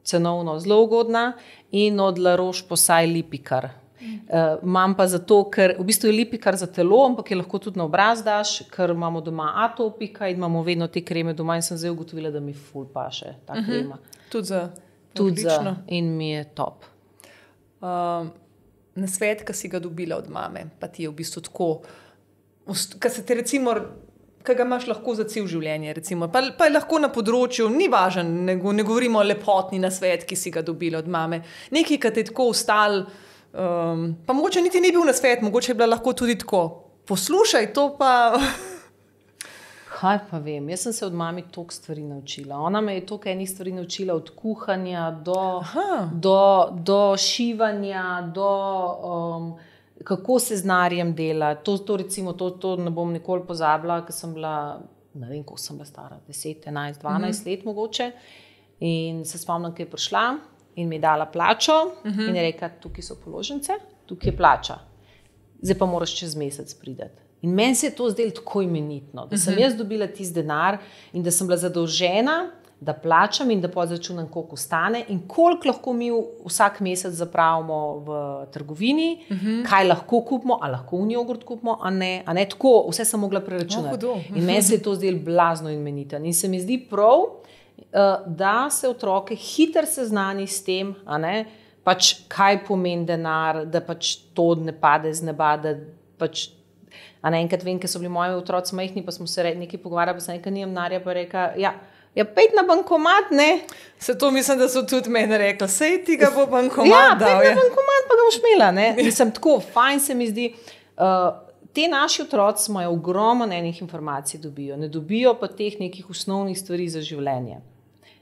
cenovno zelo ugodna, in od La Roche-Posay Lipikar. Uh, imam pa zato, ker v bistvu je Lipikar za telo, ampak je lahko tudi na obraz daš, ker imamo doma atopika in imamo vedno te kreme doma in sem zdaj ugotovila, da mi ful paše ta uh-huh. krema. Tudi za Tudi za in mi je top. Uh, nasvet, ki si ga dobila od mame, pa ti je v bistvu tako, ki se te recimo, ki ga imaš lahko za cel življenje, recimo, pa, pa je lahko na področju, ni važen, ne, ne govorimo o lepotni nasvet, ki si ga dobila od mame. Nekaj, ki te je tako ustal, um, pa mogoče niti ni bil nasvet, mogoče je bila lahko tudi tako, poslušaj to pa... Kaj pa vem, jaz sem se od mami toliko stvari naučila. Ona me je toliko enih stvari naučila, od kuhanja do, do, do šivanja, do... Um, kako se z narjem dela. To, to, recimo, to, to ne bom nikoli pozabila, ker sem bila, ne vem, koliko sem bila stara, deset, enajst, dvanajst uh-huh. let mogoče. In se spomnim, ko je prišla in mi je dala plačo uh-huh. in je rekla, tukaj so položnice, tukaj je plača. Zdaj pa moraš čez mesec prideti. In meni se je to zdelo tako imenitno, da sem uh-huh. jaz dobila tisti denar in da sem bila zadolžena, da plačam in da podračunam, koliko stane in koliko lahko mi vsak mesec zapravimo v trgovini, uh-huh. kaj lahko kupimo, a lahko v jogurt kupimo, a ne, a ne tako, vse sem mogla preračunati. Oh, in meni se je to zdelo blazno imeniten. In se mi zdi prav, da se otroke hitro seznani s tem, a ne, pač kaj pomeni denar, da pač to ne pade z neba, da pač, a ne, enkrat vem, ker so bili moji otroci majhni, pa smo se nekaj pogovarjali, pa sem nekaj nimam narja, pa reka, ja, ja, pejt na bankomat, ne. Se to mislim, da so tudi meni rekli, sej ti ga bo bankomat ja, dal. Ja, pejt na bankomat, pa ga boš imela, ne. Mislim, tako, fajn se mi zdi. Uh, te naši otroci imajo ogromno enih informacij dobijo, ne dobijo pa teh nekih osnovnih stvari za življenje.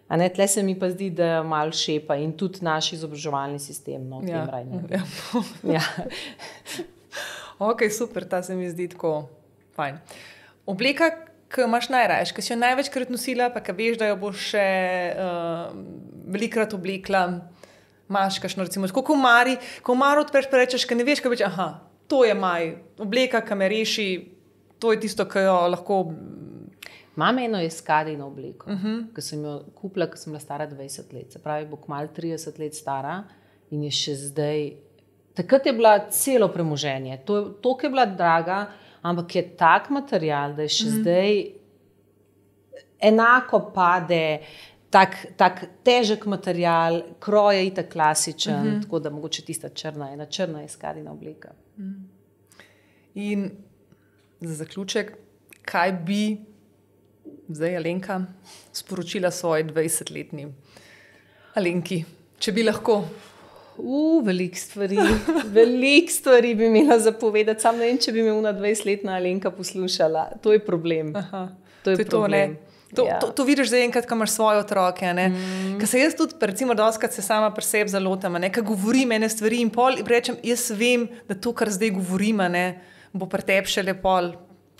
A ne, tle se mi pa zdi, da malo šepa in tudi naš izobraževalni sistem, no, v tem rajnem. Ja. Ja. Ok, super, ta se mi zdi tako fajn. Obleka, ki imaš najrajš, ki si jo največkrat nosila, pa ki veš, da jo boš še uh, velikrat oblekla, imaš kakšno, recimo, tako komari, komar odpreš, pa rečeš, ki ne veš, kaj več, aha, to je maj, obleka, ki me reši, to je tisto, ki jo lahko... Imam eno eskadino obleko, uh -huh. ki sem jo kupila, ko sem bila stara dvajset let, se pravi, bo kmalu trideset let stara in je še zdaj... Takrat je bila celo premoženje, to, to je bila draga, ampak je tak material, da je še mm. zdaj enako pade, tak, tak težek material, kroj je itak klasičen, mm -hmm. tako da mogoče tista črna, ena črna eskadina obleka. Mm. In za zaključek, kaj bi zdaj Alenka sporočila svoji dvajsetletni Alenki, če bi lahko? Uh, veliko stvari, veliko stvari bi imela zapovedati, sam ne vem, če bi me una dvajsetletna Alenka poslušala. To je problem. Aha, to je, to je problem. To, ja. to, to vidiš zdaj enkrat, ko imaš svoje otroke. Mm. Ker se jaz tudi, recimo, doskrat se sama pri sebi zalotam, ker govorim ene stvari in pol in rečem, jaz vem, da to, kar zdaj govorim, ne, bo pri tebi šele pol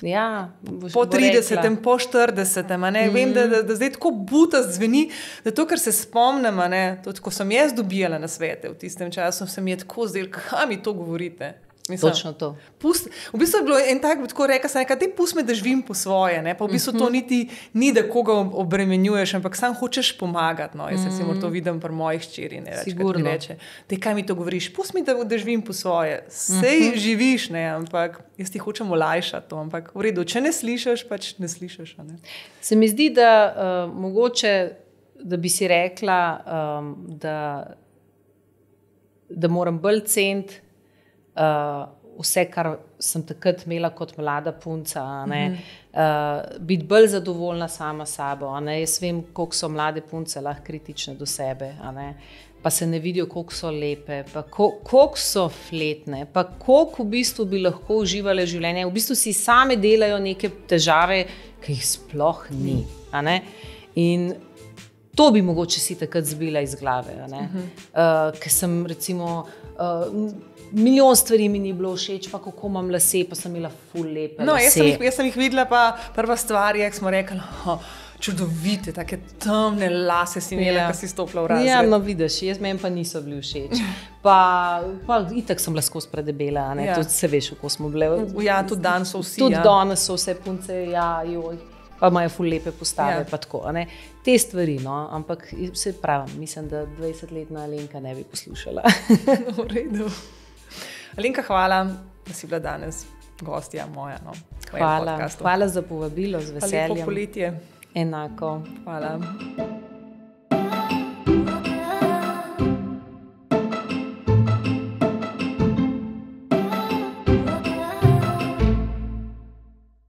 Ja, po tridesetem, po štiridesetem. Mm. Vem, da, da, da zdaj tako buta zveni, da to, kar se spomnim, tudi ko sem jaz dobijala na svete v tistem času, se mi je tako zdelo, kaj mi to govorite. Mislim, Točno to. Pust, v bistvu je bilo en tak, tako reka sem, da ti pusti me, da živim po svoje, ne? Pa v bistvu to niti ni, da koga obremenjuješ, ampak sam hočeš pomagati. No? Jaz recimo to vidim pri mojih hčeri, ne reč, ti reče, te kaj mi to govoriš, pusti mi, da, da živim po svoje. Sej uh-huh. živiš, ne? Ampak jaz ti hočem olajšati to, ampak v redu, če ne slišiš, pač ne slišiš. Ne? Se mi zdi, da uh, mogoče, da bi si rekla, um, da, da moram bolj ceniti Uh, vse, kar sem takrat imela kot mlada punca, ne, mm-hmm. uh, biti bolj zadovoljna sama sabo. Ne. Jaz vem, koliko so mlade punce lahko kritične do sebe, ne, pa se ne vidijo, koliko so lepe, pa koliko so fletne, pa koliko v bistvu bi lahko uživale življenje. V bistvu si same delajo neke težave, ki jih sploh ni. A ne. In to bi mogoče si takrat zbila iz glave. A ne. Mm-hmm. Uh, ker sem recimo uh, milijon stvari mi ni bilo všeč, pa kako imam lase, pa sem imela ful lepe no, lase. Jaz sem, jih, jaz sem jih videla, pa prva stvar je, smo rekli, oh, čudovite, take temne lase si imela, ja. Ko si stopila v razred. Ja, no vidiš, jaz meni pa niso bili všeč. Pa, pa itak sem bila skozi predebela, ne, ja. Tudi se veš, kako smo bile. Ja, tudi danes so vsi. Tudi ja. danes so vse punce, ja, joj, pa imajo ful lepe postave, ja. Pa tako, ne. Te stvari, no, ampak se pravim, mislim, da dvajsetletna Alenka ne bi poslušala. V redu. Alenka, hvala, da si bila danes gostja moja. No, hvala, hvala za povabilo, z veseljem. Pa lepo poletje. Enako. Hvala.